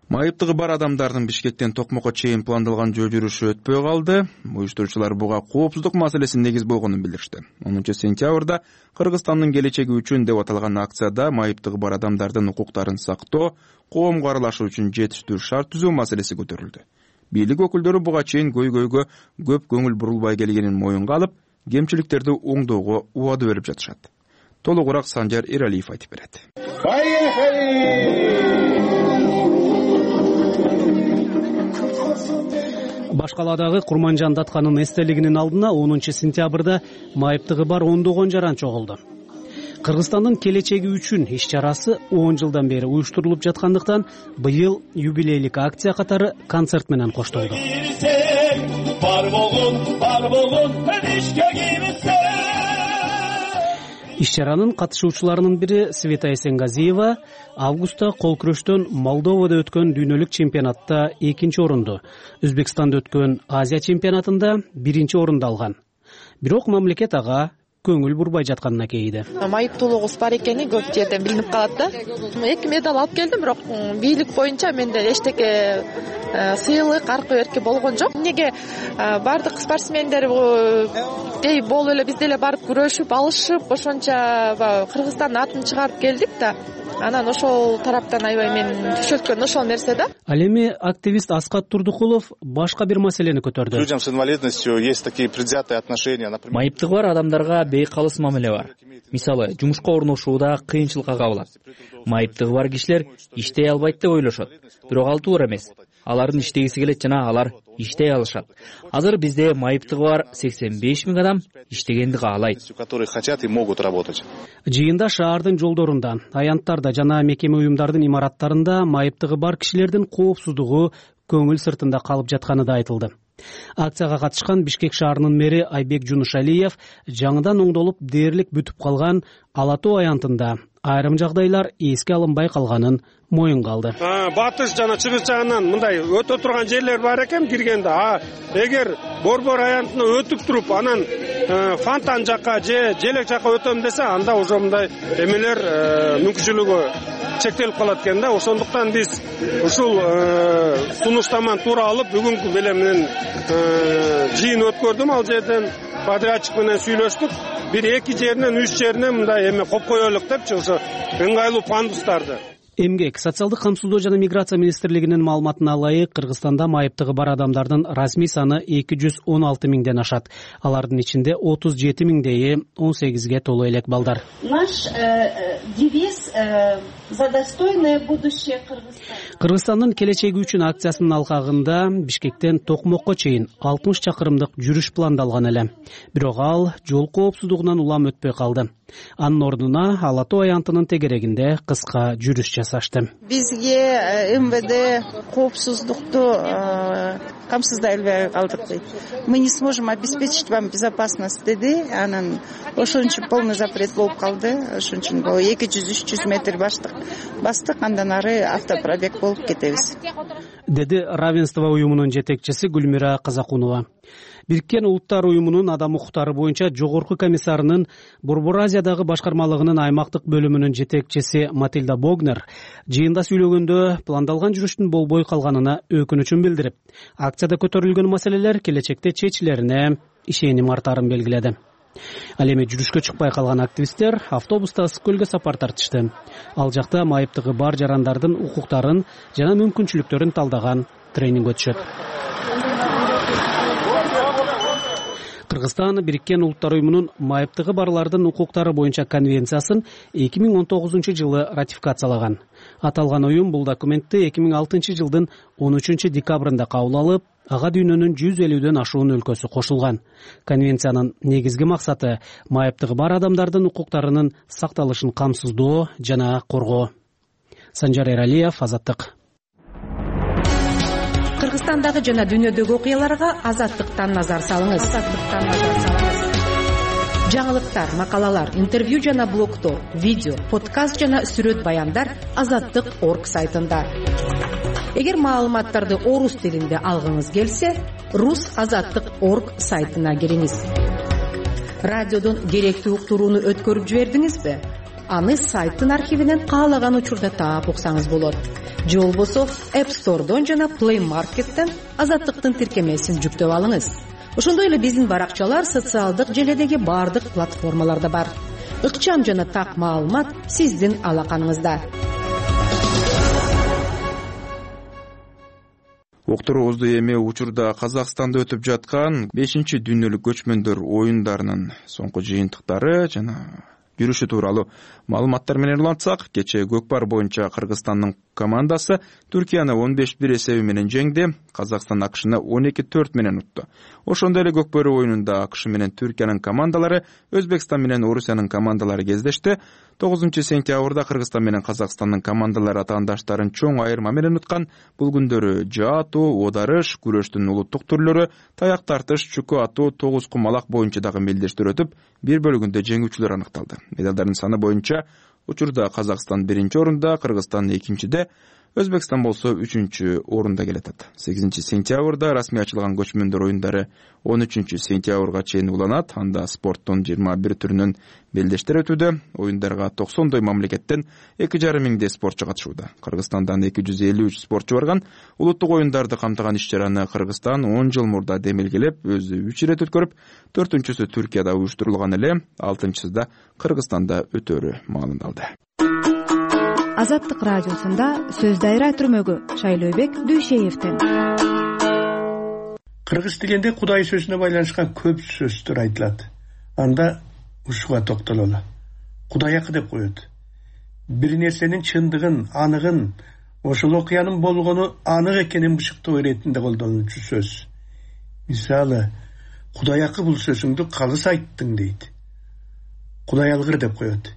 Майыптыгы бар адамдардын Бишкектен Токмокко чейин пландалган жөө жүрүшү өтпөй калды. Уюштуруучулар буга коопсуздук маселеси негиз болгонун билдиришти. 10 сентябрда Кыргызстандын келечеги үчүн деп аталган акцияда майыптыгы бар адамдардын укуктарын сактоо, коомго аралашуу үчүн жетиштүү шарт түзүү маселеси көтөрүлдү. Бийлик өкүлдөрү буга чейин көйгөйгө көп көңүл бурулбай келгенин моюнга алып, кемчиликтерди оңдоого убада берип жатышат. Толугураак Санжар Эралиев айтып берет. Башкаладагы Курманжан Датканын эстелигинин алдына 10 сентябрда майыптыгы бар ондогон жаран чогулду. Кыргызстандын келечеги үчүн иш чарасы 10 жылдан бери уюштурулуп жаткандыктан быйыл юбилейлик акция катары концерт менен коштолду. Иш чаранын катышуучуларынын бири Света Эсенгазиева августта кол күрөштөн Молдовада өткөн дүйнөлүк чемпионатта 2 орунду, Өзбекстанда өткөн Азия чемпионатында 1 орунду алган. Бирок мамлекет ага көңүл бурбай жатканына кейиди. Майыптуулугубуз бар экени көп жерден билинип калат да. 2 медаль алып келдим, бирок бийлик боюнча менде эчтеке сыйлык, аркы берки болгон жок. Эмнеге бардык спортсмендер болуп эле биз деле барып күрөшүп, алышып, ошончо Кыргызстандын атын чыгарып келдик да. Анан ошол тараптан аябай мен түшөлткөн ошол нерсе да. Ал эми активист Аскат Турдукулов башка бир маселени көтөрдү. Людям с инвалидностью есть такие предвзятые отношения. Майыптыгы бар адамдарга бейкалыс мамиле бар. Мисалы, жумушка орношууда кыйынчылыкка кабылат. Майыптыгы бар кишилер иштей албайт деп ойлошот. Бирок ал туура эмес. Алардын иштегиси келет жана алар иштей алышат. Азыр бизде майыптыгы бар 85 000 адам иштегенди каалайт. Которые хотят и могут работать. Жыйында шаардын жолдорунда, аянттарда жана мекеме уюмдардын имараттарында майыптыгы бар кишилердин коопсуздугу көңүл сыртында калып жатканы да айтылды. Акцияга катышкан Бишкек шаарынын мэри Айбек Жунушалиев жаңыдан оңдолуп дээрлик бүтүп калган Ала Тоо аянтында айрым жагдайлар эске алынбай калганын моюнга алды. Батыш жана чыгыш жагынан мындай өтө турган жерлер бар экен киргенде. Эгер Борбор аянтына өтүп туруп, анан фонтан жака же желек жака өтөм десе, анда уже мындай эмелер мүмкүнчүлүгү чектелип калат экен да. Ошондуктан биз ушул сунуштаманы туура алып, бүгүнкү беле менен жыйын өткөрдүм. Ал жерден подрядчик менен сүйлөштүк. 1-2 жеринен 3 жеринен мындай эме коюп коелук депчи, ошо ыңгайлуу пандустарды. Эмгек, социалдык камсыздоо жана миграция министрлигинин маалыматына ылайык, Кыргызстанда майыптыгы бар адамдардын расмий саны 216 миңден ашат. Алардын ичинде 37 миңдейи 18ге толуу элек балдар. Наш девиз за достойное будущее Кыргызстана. Кыргызстандын келечеги үчүн акциясынын алкагында Бишкектен Токмокко чейин 60 чакырымдык жүрүш пландалган эле. Бирок ал жол коопсуздугунан улам өтпөй калды. Анын ордуна Ала Тоо аянтынын тегерегинде кыска жүрүш жасашты. Бизге МВД коопсуздукту камсыздай албай калдык дейт. Мы не сможем обеспечить вам безопасность деди. Анан ошон үчүн полный запрет болуп калды. Ошон үчүн 200-300 метр бастык, андан ары автопробег болуп кетебиз, деди Равенство уюмунун жетекчиси Гүлмира Казакунова. Бириккен Улуттар уюмунун адам укуктары боюнча жогорку комиссарынын Борбор Азиядагы башкармалыгынын аймактык бөлүмүнүн жетекчиси Матильда Богнер жыйында сүйлөгөндө пландалган жүрүштүн болбой калганына өкүнүчүн билдирип, акцияда көтөрүлгөн маселелер келечекте чечилерине ишеним артарын белгиледи. Ал эми жүрүшкө чыкпай калган активисттер автобуста Ысык көлгө сапар тартышты. Ал жакта майыптыгы бар жарандардын укуктарын жана мүмкүнчүлүктөрүн талдаган тренинг өтүшөт. Кыргызстан Бириккен Улуттар уюмунун майыптыгы барлардын укуктары боюнча конвенциясын 2019 жылы ратификациялаган. Аталган уюм бул документти 2006 жылдын 13 декабрында кабыл алып, ага дүйнөнүн 150ден ашуун өлкөсү кошулган. Конвенциянын негизги максаты майыптыгы бар адамдардын укуктарынын сакталышын камсыздоо жана коргоо. Санжар Эралиев, Азаттык. Кыргызстандагы жана дүйнөдөгү окуяларга Азаттыктан назар салыңыз. Жаңылыктар, макалалар, интервью жана блогдор, видео, подкаст жана сүрөт баяндар Азаттык.орг сайтында. Эгер маалыматтарды орус тилинде алгыңыз келсе, rus.azattik.org сайтына кириңиз. Радиодон керектүү уктурууну өткөрүп жибердиңизби? Аны сайттын архивинен каалаган учурда таап уксаңыз болот. Же болбосо App Store'дон жана Play Market'тен Азаттыктын тиркемесин жүктөп алыңыз. Ошондой эле биздин баракчалар социалдык желедеги бардык платформаларда бар. Ыкчам жана так маалымат сиздин алаканыңызда. Уктуруубузду эми учурда Казакстанда өтүп жаткан 5-чи дүйнөлүк көчмөндөр оюндарынын соңку жыйынтыктары жана жүрүшү тууралуу маалыматтар менен улантсак, кечээ Көкпар боюнча Кыргызстандын командасы Түркияны 15-1 эсеби менен жеңди. Казакстан АКШны 12-4 менен утту. Ошондой эле Көкбөрү оюнунда АКШ менен Түркиянын командалары, Өзбекстан менен Орусиянын командалары кездешти. 9-сентябрда Кыргызстан менен Казакстандын командалары атаандаштарын чоң айырма менен уткан. Бул күндөрү жаатуу, оодарыш, күрөштүн улуттук түрлөрү, таяк тартыш, чүкө атуу, тогуз кумалак боюнча дагы мелдештер өтүп, бир бөлүгүндө жеңүүчүлөр аныкталды. Медалдардын саны боюнча учурда Казакстан 1-чи орунда, Кыргызстан 2-чиде, Өзбекстан болсо 3-чү орунда келатат. 8-сентябрда расмий ачылган көчмөндөр оюндары 13-сентябрга чейин уланат. Анда спорттун 21 түрүнөн белдештер өтүүдө. Оюндарга 90 мамлекеттен 2,5 миңдей спортчу катышууда. Кыргызстандан 253 спортчу барган. Улуттук оюндарды камтыган иш-чараны Кыргызстан 10 жыл мурда демелгелеп, өзү 3 ирет өткөрүп, 4-чүсү Түркияда уюштурулган эле, 6-чысы да Кыргызстанда өтөрү маалымдалды. Азаттык радиосунда сөз дайра түрмөгү Шайлообек Дүйшеевден. Кыргыз тилинде Кудай сөзүнө байланышкан көп сөздөр айтылат. Анда ушуга токтололу. Кудайакы деп коет. Бир нерсенин чындыгын, аныгын, ошол окуянын болгону анык экенин бышыктоо иретинде колдонулчу сөз. Мисалы, Кудайакы бул сөзүңдү калыс айттың дейт. Кудай алгыр деп коет.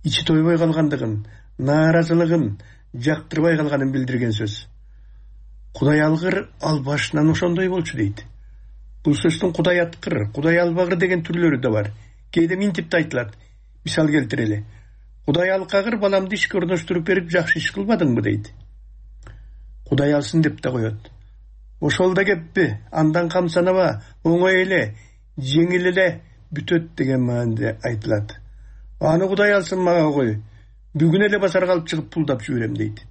Ичи тойбой калгандыгын, нааразылыгын, жактырбай калганын билдирген сөз. Кудай алгыр ал башынан ошондой болчу дейт. Бул сөздүн Кудай аткыр, Кудай албагыр деген түрлөрү да бар. Кээде минтип да айтылат. Мисал келтирели. Кудай алкагыр баламды ишке орноштуруп берип жакшы иш кылбадыңбы дейт. Кудай алсын деп да коет. Ошол да кеппи, андан камсанаба, оңой эле, жеңил эле бүтөт деген мааниде айтылат. Аны Кудай алсын мага кой. Бүгүн эле базарга алып чыгып пулдап жиберем дейт.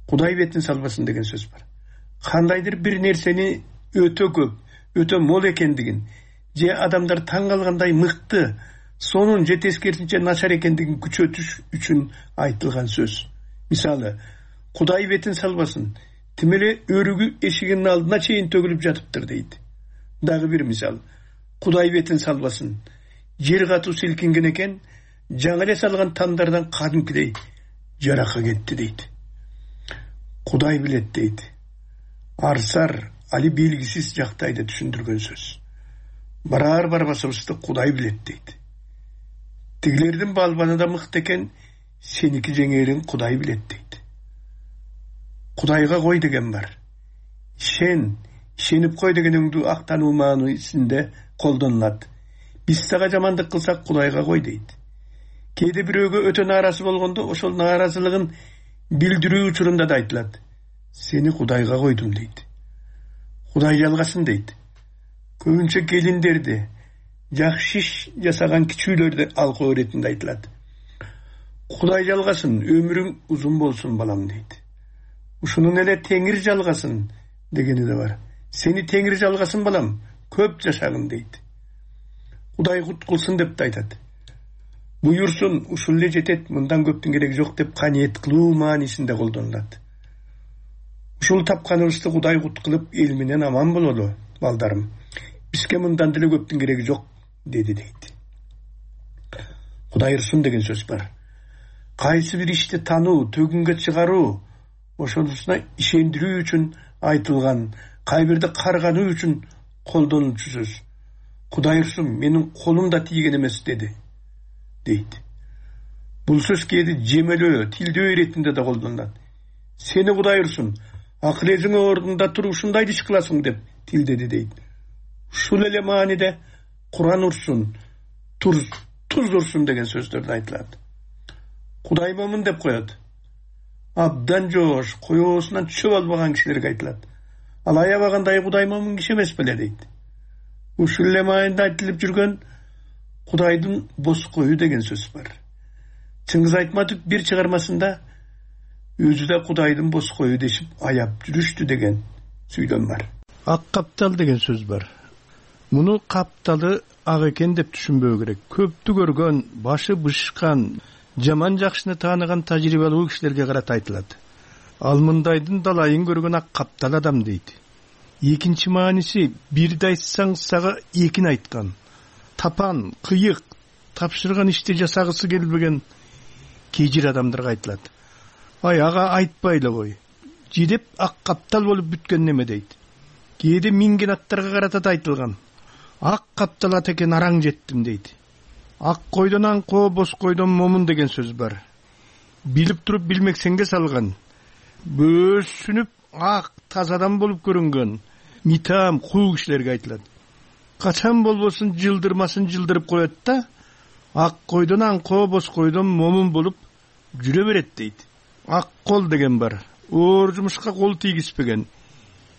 Кудай бетин салбасын деген сөз бар. Кандайдыр бир нерсени өтө көп, өтө мол экендигин, же адамдар таң калгандай мыкты, сонун же тескерисинче начар экендигин күчөтүш үчүн айтылган сөз. Мисалы, Кудай бетин салбасын, тим эле өрүгү эшигинин алдына чейин төгүлүп жатыптыр дейт. Дагы бир мисал, Кудай бетин салбасын, жер катуу силкинген экен, жаңы эле салган тамдардан кадимкидей жаракка кетти дейт. Кудай билет дейт. Арсар, али белгисиз жактайды түшүндүргөн сөз. Барар барбасыбызды Кудай билет дейт. Тигилердин балбаны да мыкты экен, сеники жеңерин Кудай билет дейт. Кудайга кой деген бар. Ишенип кой деген өңдүү актануу маанисинде колдонулат. Биз дагы жамандык кылсак Кудайга кой дейт. Кээде бирөөгө өтө нааразы болгондо ошол нааразылыгын билдирүү учурунда да айтылат. Сени Кудайга койдум дейт. Кудай жалгасын дейт. Көбүнчө келиндерди, жакшы иш жасаган кичүүлөрдү алкоо иретинде айтылат. Кудай жалгасын, өмүрүң узун болсун балам дейт. Ушунун эле Теңир жалгасын дегени да бар. Сени Теңир жалгасын балам, көп жашагын дейт. Кудай кут кылсын деп да айтат. Буйурсун, ушул эле жетет, мындан көптүн кереги жок деп каниет кылуу маанисинде колдонулат. Ушул тапканыбызды Кудай кут кылып эл менен аман бололу, балдарым. Бизге мындан деле көптүн кереги жок, деди дейт. Кудай ырсын деген сөз бар. Кайсы бир ишти тануу, төгүнгө чыгаруу, ошонусуна ишендирүү үчүн айтылган, кайбирди каргануу үчүн колдонулчу сөз. Кудай ырсын, менин колум да тийген эмес деди, дейт. Бул сөз кээде жемелөө, тилдөө иретинде да колдонулат. Сени Кудай ырсын, акыл эзиңе ордунда туруп ушундай иш кыласың деп тилдеди дейт. Ушул эле мааниде Куран урсун, туз урсун деген сөздөрдө айтылат. Кудай момун деп коет. Абдан жоош, коёсунан чөп албаган кишилерге айтылат. Ал аябагандай Кудай момун киши эмес беле дейт. Ушул эле маанинде айтылып жүргөн Кудайдын бос кою деген сөз бар. Чыңгыз Айтматов бир чыгармасында өзү да Кудайдын бос кою дешип аяп жүрүштү деген сүйлөм бар. Ак каптал деген сөз бар. Муну капталы ак экен деп түшүнбөө керек. Көптү көргөн, башы бышкан, жаман жакшыны тааныган тажрыйбалуу кишилерге карата айтылат. Ал мындайдын далайын көргөн ак каптал адам дейт. Экинчи мааниси бирди айтсаң сага экин айткан. Тапан, кыйык, тапшырган ишти жасагысы келбеген кежир адамдарга айтылат. Ай, ага айтпай эле кой. Жидеп ак каптал болуп бүткөн неме дейт. Кээде минген аттарга карата да айтылган. Ак каптал ат экен араң жеттим дейт. Ак койдон аңкоо, бос койдон момун деген сөз бар. Билип туруп билмексенге салган. Бөөсүнүп ак тазадан болуп көрүнгөн митам куу кишилерге айтылат. Качан болбосун жылдырмасын жылдырып коет да, ак койдон аңкоо, бос койдон момун болуп жүрө берет дейт. Ак кол деген бар. Оор жумушка кол тийгизбеген,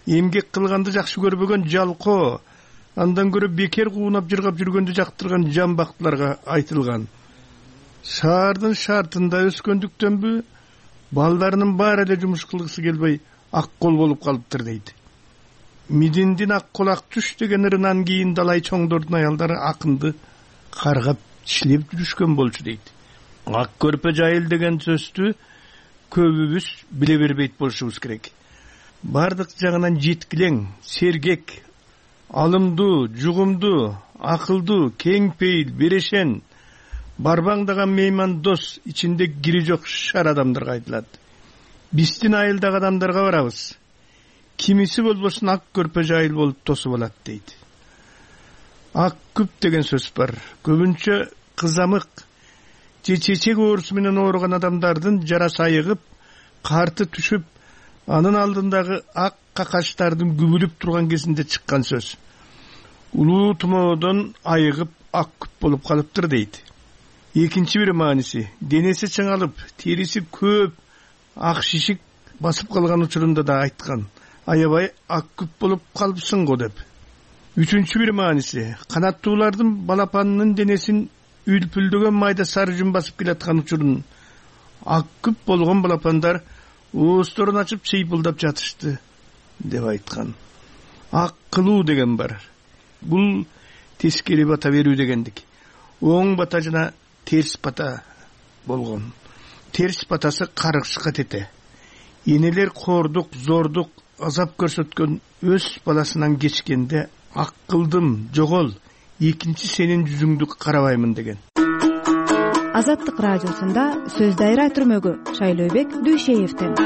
эмгек кылганды жакшы көрбөгөн жалкоо, андан көрө бекер куунап жыргап жүргөндү жактырган жамбактыларга айтылган. Шаардын шартында өскөндүктөнбү, балдарынын баары эле жумуш кылгысы келбей ак кол болуп калыптыр дейт. Мидиндин ак колак түш деген ырынан кийин далай чоңдордун аялдары акынды каргап иштеп жүрүшкөн болчу дейт. Ак көрпө жайыл деген сөздү көбүбүз биле бербейт болушубуз керек. Бардык жагынан жеткилең, сергек, алымдуу, жугумдуу, акылдуу, кең пейил, берешен, барбаңдаган мейман дос, ичинде кири жок шар адамдарга айтылат. Биздин айылдагы адамдарга барабыз. Кимиси болбосун ак көрпө жайыл болуп тосуп алат дейт. Ак күп деген сөз бар. Көбүнчө кызамык же чечек оорусу менен ооруган адамдардын жарасы айыгып, карты түшүп, анын алдындагы ак какачтардын күбүлүп турган кезинде чыккан сөз. Улуу тумоодон айыгып ак күп болуп калыптыр дейт. Экинчи бир мааниси, денеси чыңалып, териси көп ак шишик басып калган учурунда да айткан. Аябай ак күп болуп калыпсың го деп. Үчүнчү бир мааниси, канаттуулардын балапанынын денесин үлпүлдөгөн майда сары жүн басып келаткан учурун ак күп болгон балапандар оозторун ачып чыйпылдап жатышты деп айткан. Ак кылуу деген бар. Бул тескери бата берүү дегендик. Оң бата жана терс бата болгон. Терс батасы каргышка тете. Энелер кордук, зордук, азап көрсөткөн өз баласынан кечкенде ак кылдым, жогол, экинчи сенин жүзүңдү карабаймын деген. Азаттык радиосунда сөз дайра түрмөгү Шайлообек Дүйшеевден.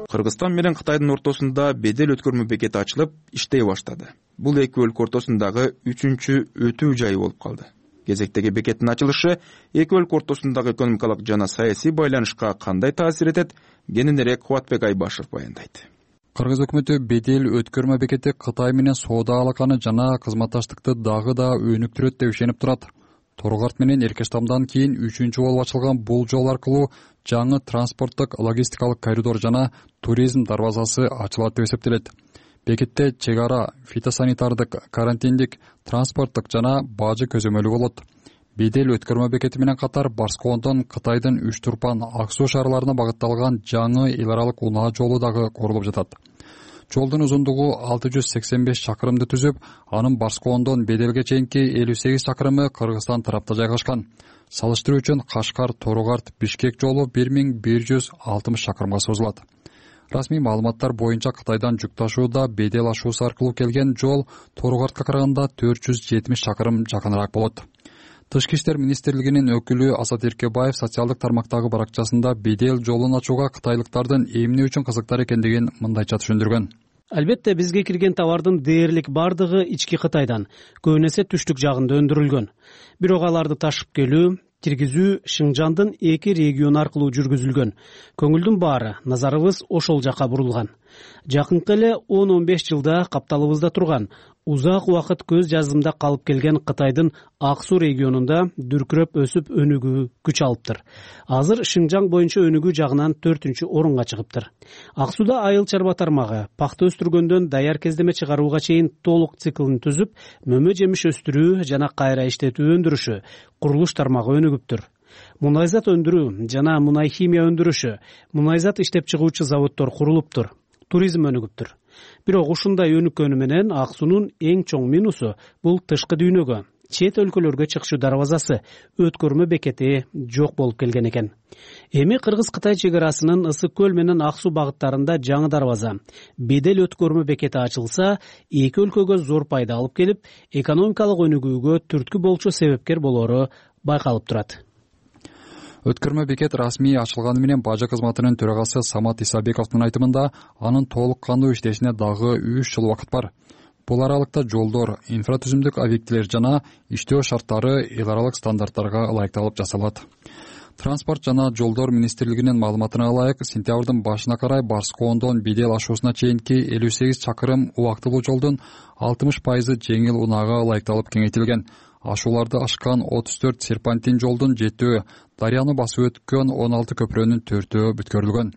Кыргызстан менен Кытайдын ортосунда бедел өткөрмө бекети ачылып, иштей баштады. Бул эки өлкө ортосундагы үчүнчү өтүү жайы болуп калды. Кезектеги бекеттин ачылышы эки өлкө ортосундагы экономикалык жана саясий байланышка кандай таасир этет? Кененирээк Кубатбек Айбашев баяндайт. Кыргыз өкмөтү бедел өткөрмө бекети Кытай менен соода алаканы жана кызматташтыкты дагы да өнүктүрөт деп ишенип турат. Торгарт менен Эркештамдан кийин үчүнчү болуп ачылган бул жол аркылуу жаңы транспорттук логистикалык коридор жана туризм дарбазасы ачылат деп эсептелет. Бекетте чек ара, фитосанитардык, карантиндик, транспорттук жана бажы көзөмөлү болот. Бедел өткөрмө бекети менен катар Барскондон Кытайдын Үч Турпан, Ак Суу шаарларына багытталган жаңы эл аралык унаа жолу дагы курулуп жатат. Жолдун узундугу 685 чакырымды түзүп, анын Барскондон Беделге чейинки 58 чакырымы Кыргызстан тарапта жайгашкан. Салыштыруу үчүн Кашкар, Торгарт, Бишкек жолу 1160 чакырымга созулат. Расмий маалыматтар боюнча Кытайдан жүк ташууда Бедел ашуусу аркылуу келген жол Торгартка караганда 470 чакырым жакыныраак болот. Тышкы иштер министрлигинин өкүлү Асат Эркебаев социалдык тармактагы баракчасында Бедел жолун ачууга кытайлыктардын эмне үчүн кызыктар экендигин мындайча түшүндүргөн. Албетте бизге кирген товардын дээрлик бардыгы ички Кытайдан, көбүн эсе түштүк жагында өндүрүлгөн. Бирок аларды ташып келүү, киргизүү Шыңжандын эки региону аркылуу жүргүзүлгөн. Көңүлдүн баары, назарыбыз ошол жака бурулган. Жакынкы эле 10-15 жылда капталыбызда турган, узак убакыт көз жазымда калып келген Кытайдын Ак Суу регионунда дүркүрөп өсүп өнүгүү күч алыптыр. Азыр Шыңжаң боюнча өнүгүү жагынан 4-орунга чыгыптыр. Ак Сууда айыл чарба тармагы пахта өстүргөндөн даяр кездеме чыгарууга чейин толук циклын түзүп, мөмө жемиш өстүрүү жана кайра иштетүү өндүрүшү, курулуш тармагы өнүгүптүр. Мунайзат өндүрүү жана мунай химия өндүрүшү, мунайзат иштеп чыгуучу заводдор курулуптур. Туризм өнүгүптүр. Бирок ушундай өнүккөнү менен Ак Суунун эң чоң минусу бул тышкы дүйнөгө, чет өлкөлөргө чыгышуу дарбазасы, өткөрмө бекети жок болуп келген экен. Эми Кыргыз-Кытай чек арасынын Ысык көл менен Ак Суу багыттарында жаңы дарбаза, бедел өткөрмө бекети ачылса, эки өлкөгө зор пайда алып келип, экономикалык өнүгүүгө түрткү болчу себепкер болору байкалып турат. Өткөрмө бекет расмий ачылганы менен бажы кызматынын төрагасы Самат Исабековдун айтымында анын толук кандуу иштешине дагы 3 жыл убакыт бар. Бул аралыкта жолдор, инфратүзүмдүк объектилер жана иштөө шарттары эл аралык стандарттарга ылайыкталып жасалат. Транспорт жана жолдор министрлигинин маалыматына ылайык, сентябрдын башына карай Барскондон Бедел ашуусуна чейинки 58 чакырым убактылуу жолдун 60% жеңил унаага ылайыкталып кеңейтилген. Ашууларды ашкан 34 серпантин жолдун 7-өө, дарыяны басып өткөн 16 көпүрөнүн 4-өө бүткөрүлгөн.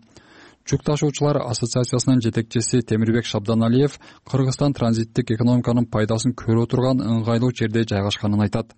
Жүк ташуучулар ассоциациясынын жетекчиси Темирбек Шабданалиев Кыргызстан транзиттик экономиканын пайдасын көрө турган ыңгайлуу жерде жайгашканын айтат.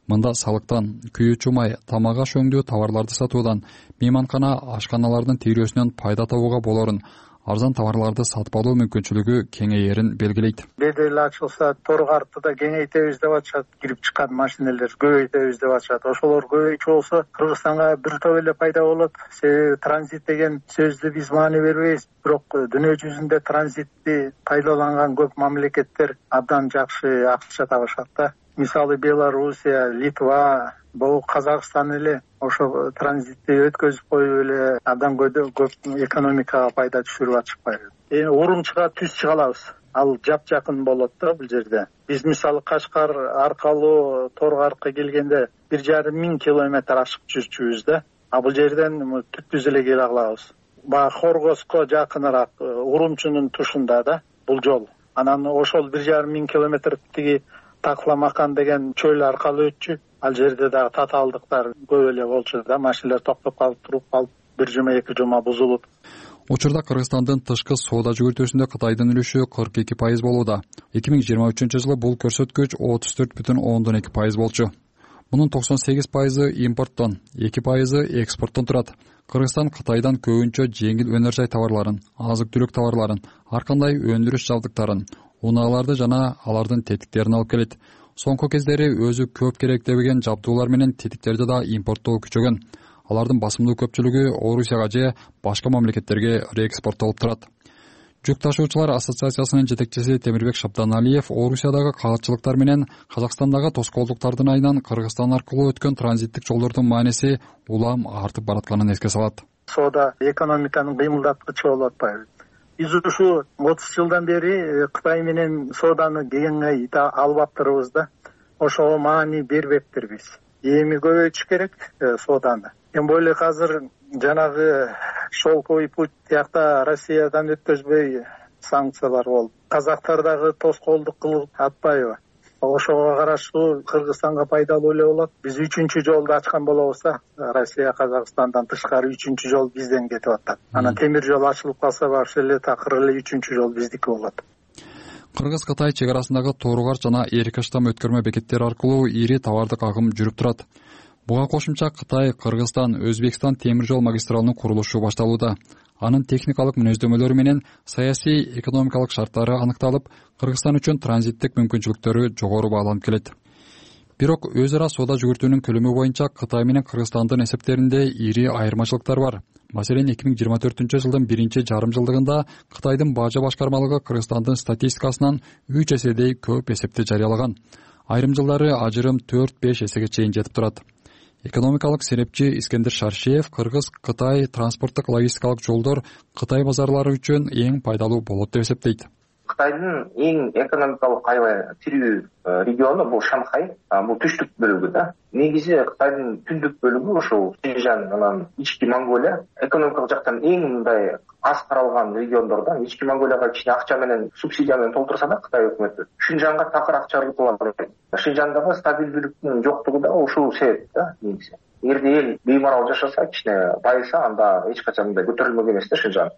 Мында салыктан, күйүүчү май, тамак аш өңдүү товарларды сатуудан, мейманкана, ашканалардын тийрөөсүнөн пайда табууга болорун, арзан товарларды сатып алуу мүмкүнчүлүгү кеңейерин белгилейт. Бедел ачылса, Торгартты да кеңейтебиз деп атышат, кирип чыккан машинелер көбөйтөбүз деп атышат. Ошолор көбөйчү болсо, Кыргызстанга бир топ эле пайда болот. Себеби транзит деген сөздү биз маани бербейбиз, бирок дүйнө жүзүндө транзитти пайдаланган көп мамлекеттер абдан жакшы акча табышат да. Мисалы Белоруссия, Литва, бул Казакстан эле ошо транзитти өткөзүп коюп эле абдан көп экономикага пайда түшүрүп атышпайбы. Эми Урумчуга түз чыга алабыз. Ал жакын болот да бул жерде. Биз мисалы Кашкар аркылуу Торгартка келгенде 1,5 километр ашып жүрчүбүз да. А бул жерден түз эле келе алабыз. Баягы Хоргоско жакыныраак Урумчунун тушунда да бул жол. Анан ошол 1,5 километр тиги Такламакан деген чөл аркылуу өтчү. Ал жерде дагы татаалдыктар көп эле болчу да, машиналар токтоп калып, туруп калып, 1 жума 2 жума бузулуп. Учурда Кыргызстандын тышкы соода жүгүртүүсүндө Кытайдын үлүшү 42% болууда. 2023 бул көрсөткүч 34,2% болчу. Мунун 98% импорттон, 2% экспорттон турат. Кыргызстан Кытайдан көбүнчө жеңил өнөр жай товарларын, азык-түлүк товарларын, ар кандай өндүрүш жабдыктарын, унааларды жана алардын тетиктерин алып келет. Соңку кездери өзү көп керектебеген жабдуулар менен тетиктерди да импорттоо күчөгөн. Алардын басымдуу көпчүлүгү Орусияга же башка мамлекеттерге реэкспорттолуп турат. Жүк ташуучулар ассоциациясынын жетекчиси Темирбек Шабданалиев Орусиядагы кагатчылыктар менен Казакстандагы тоскоолдуктардын айынан Кыргызстан аркылуу өткөн транзиттик жолдордун мааниси улам артып баратканын эске салат. Соода экономиканын кыймылдаткычы болуп атпайбы? Биз ушу 30 жылдан бери Кытай менен сооданы кеңей алып атырбыз да. Ошого маани бербеппирбиз. Эми көбөйтүш керек сооданы. Тем более азыр жанагы шелковый путь тиякта Россиядан өткөзбөй санкциялар болуп, казактар дагы тоскоолдук кылып атпайбы? Ошого караштуу Кыргызстанга пайдалуу эле болот. Биз 3-чү жолду ачкан болобуз да, Россия Казакстандан тышкары 3-чү жол бизден кетип атат. Анан темир жол ачылып калса вообще эле такыр эле 3-чү жол биздики болот. Кыргыз-Кытай чек арасындагы Торугар жана Эрикаштам өткөрмө бекеттери аркылуу ири товардык агым жүрүп турат. Буга кошумча Кытай, Кыргызстан, Өзбекстан темир жол магистралынын курулушу башталууда. Анын техникалык мүнөздөмөлөрү менен саясий, экономикалык шарттары аныкталып, Кыргызстан үчүн транзиттик мүмкүнчүлүктөрү жогору бааланып келет. Бирок өз ара соода жүгүртүүнүн көлөмү боюнча Кытай менен Кыргызстандын эсептеринде ири айырмачылыктар бар. Маселен, 2024 жылдын 1-жарым жылдыгында Кытайдын бажа башкармалыгы Кыргызстандын статистикасынан 3 эседей көп эсепти жарыялаган. Айрым жылдары ажырым 4-5 эсеге чейин жетип турат. Экономикалык серепчи Искендер Шаршиев Кыргыз-Кытай транспорттук логистикалык жолдор Кытай базарлары үчүн эң пайдалуу болот деп эсептейт. Кытайдын эң экономикалык аябай тирүү региону бул Шанхай, бул түштүк бөлүгү да. Негизи Кытайдын түндүк бөлүгү ошол Шинжан, анан Ички Монголия экономикалык жактан эң мындай аз каралган региондордон. Ички Монголияга кичине акча менен, субсидия менен толтурса да Кытай өкмөтү Шинжанга такыр акча кылат. Шинжандагы стабилдүүлүктүн жоктугу да ушул себеп да негизи. Эгерде эл беймарал жашаса, кичине байыса, анда эч качан мындай көтөрүлмөк эмес да Шинжан.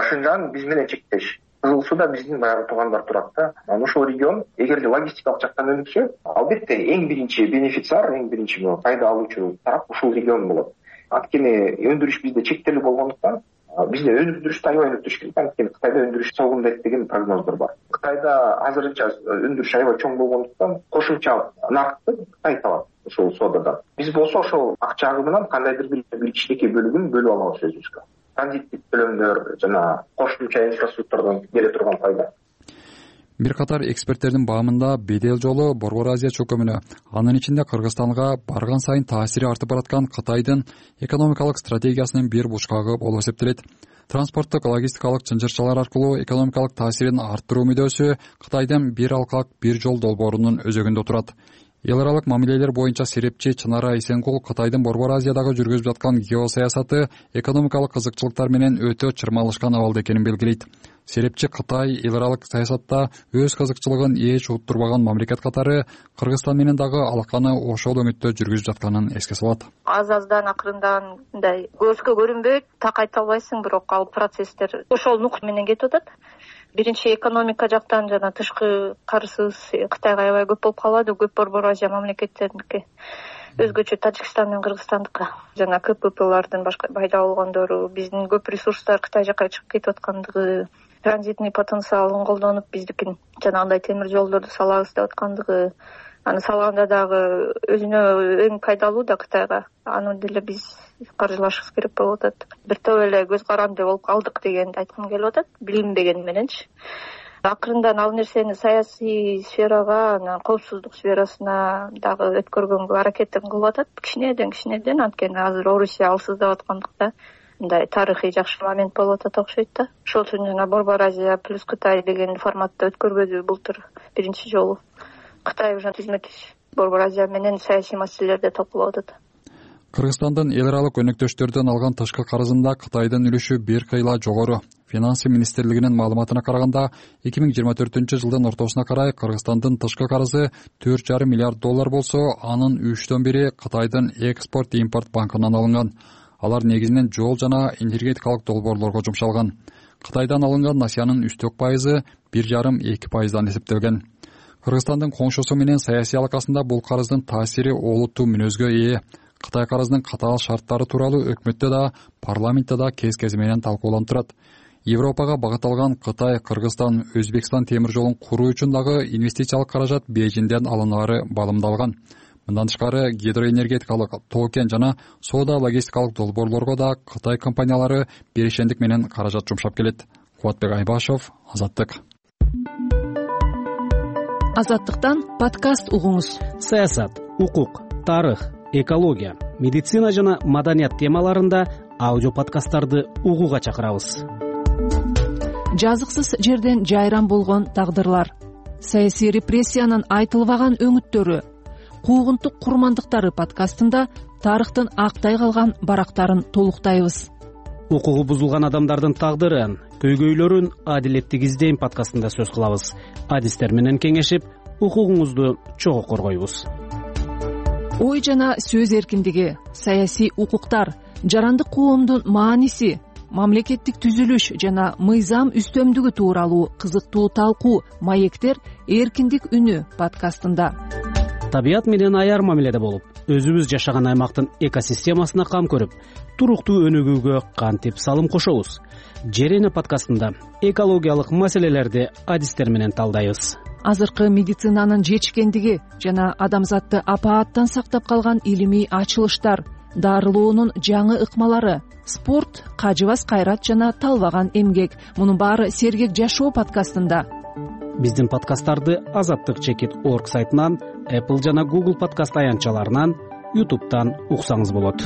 Шинжан биз менен чектеш. Кызыл Сууда биздин баягы туугандар турат да. Анан ушул регион эгерде логистикалык жактан өнүксө, албетте эң биринчи бенефициар, эң биринчи пайда алуучу тарап ушул регион болот. Анткени өндүрүш бизде чектелүү болгондуктан бизде өндүрүштү аябай өнүктүрүш керек. Анткени Кытайда өндүрүш согундайт деген прогноздор бар. Кытайда азырынча өндүрүш аябай чоң болгондуктан кошумча наркты Кытай табат ошол соодадан. Биз болсо ошол акча агымынан кандайдыр бир кичинекей бөлүгүн бөлүп алабыз өзүбүзгө. Транзиттик төлөмдөр жана кошумча инфраструктурадан келе турган пайда. Бир катар эксперттердин баамында бедел жолу Борбор Азия чөкөмүнө, анын ичинде Кыргызстанга барган сайын таасири артып бараткан Кытайдын экономикалык стратегиясынын бир бучкагы болуп эсептелет. Транспорттук логистикалык чынжырчалар аркылуу экономикалык таасирин арттыруу мүдөөсү Кытайдын бир алкак бир жол долбоорунун өзөгүндө турат. Эл аралык мамилелер боюнча серепчи Чынара Исенгул Кытайдын Борбор Азиядагы жүргүзүп жаткан геосаясаты экономикалык кызыкчылыктар менен өтө чырмалышкан абалда экенин белгилейт. Серепчи Кытай эл аралык саясатта өз кызыкчылыгын эч уттурбаган мамлекет катары Кыргызстан менен дагы алаканы ошол өңүттө жүргүзүп жатканын эске салат. Аз-аздан акырындан мындай көзгө көрүнбөйт, так айта албайсың, бирок ал процесстер ошол нукта менен кетип атат. Биринчи экономика жактан жана тышкы карызыбыз Кытайга аябай көп болуп калады, көп Борбор Азия мамлекеттериники. Өзгөчө Тажикстан менен Кыргызстандыкы жана КППлардын башка пайда болгондору, биздин көп ресурстар Кытай жака чыгып кетип аткандыгы, транзитный потенциалын колдонуп биздикин жанагындай темир жолдорду салабыз деп аткандыгы, аны салганда дагы өзүнө эң пайдалуу да Кытайга. Аны деле биз каржылашыбыз керек болуп атат. Бир топ эле көз каранды болуп калдык дегенди айткым келип атат, билинбеген мененчи. Акырындан ал нерсени саясий сферага, анан коопсуздук сферасына дагы өткөргөнгө аракетин кылып атат. Кичинеден, анткени азыр Орусия алсыздап аткандыкта мындай тарыхый жакшы момент болуп атат окшойт да. Ошол үчүн жана Борбор Азия плюс Кытай деген форматта өткөрбөдү былтыр биринчи жолу. Кытай уже түзмө-түз Борбор Азия менен саясий маселелерде талкуулап атат. Кыргызстандын эл аралык өнөктөштөрдөн алган тышкы карызында Кытайдын үлүшү бир кыйла жогору. Финансы министрлигинин маалыматына караганда 2024-жылдын ортосуна карай Кыргызстандын тышкы карызы $4,5 миллиард болсо, анын 1/3 Кытайдын экспорт-импорт банкынан алынган. Алар негизинен жол жана энергетикалык долбоорлорго жумшалган. Кытайдан алынган насыянын үстөк пайызы 1,5–2%дан эсептелген. Кыргызстандын коңшусу менен саясий алакасында бул карыздын таасири олуттуу мүнөзгө ээ. Кытай карызынын катаал шарттары тууралуу өкмөттө да, парламентте да кез-кези менен талкууланып турат. Европага багытталган Кытай, Кыргызстан, Өзбекстан темир жолун куруу үчүн дагы инвестициялык каражат Бейжиңден алынары балымдалган. Мындан тышкары гидроэнергетикалык, тоо-кен жана соода логистикалык долбоорлорго да Кытай компаниялары беришендик менен каражат жумшап келет. Кубатбек Айбашев, Азаттык. Азаттыктан подкаст угуңуз. Саясат, укук, тарых, экология, медицина жана маданият темаларында аудио подкасттарды угууга чакырабыз. Жазыксыз жерден жайран болгон тагдырлар, саясий репрессиянын айтылбаган өңүттөрү, куугунтук курмандыктары подкастында тарыхтын актай калган барактарын толуктайбыз. Укугу бузулган адамдардын тагдырын, көйгөйлөрүн адилеттик издейм подкастында сөз кылабыз. Адистер менен кеңешип, укугуңузду чогуу коргойбуз. Ой жана сөз эркиндиги, саясий укуктар, жарандык коомдун мааниси, мамлекеттик түзүлүш жана мыйзам үстөмдүгү тууралуу кызыктуу талкуу маектер эркиндик үнү подкастында. Табият менен аяр мамиледе болуп, өзүбүз жашаган аймактын экосистемасына кам көрүп, туруктуу өнүгүүгө кантип салым кошобуз. Жер эне подкастында экологиялык маселелерди адистер менен талдайбыз. Азыркы медицинанын жетишкендиги жана адамзатты апааттан сактап калган илимий ачылыштар, дарылоонун жаңы ыкмалары, спорт, кажыбас кайрат жана талбаган эмгек. Мунун баары Сергек жашоо подкастында. Биздин подкасттарды azattik.org сайтынан, Apple жана Google подкаст аянтчаларынан, YouTube'дан уксаңыз болот.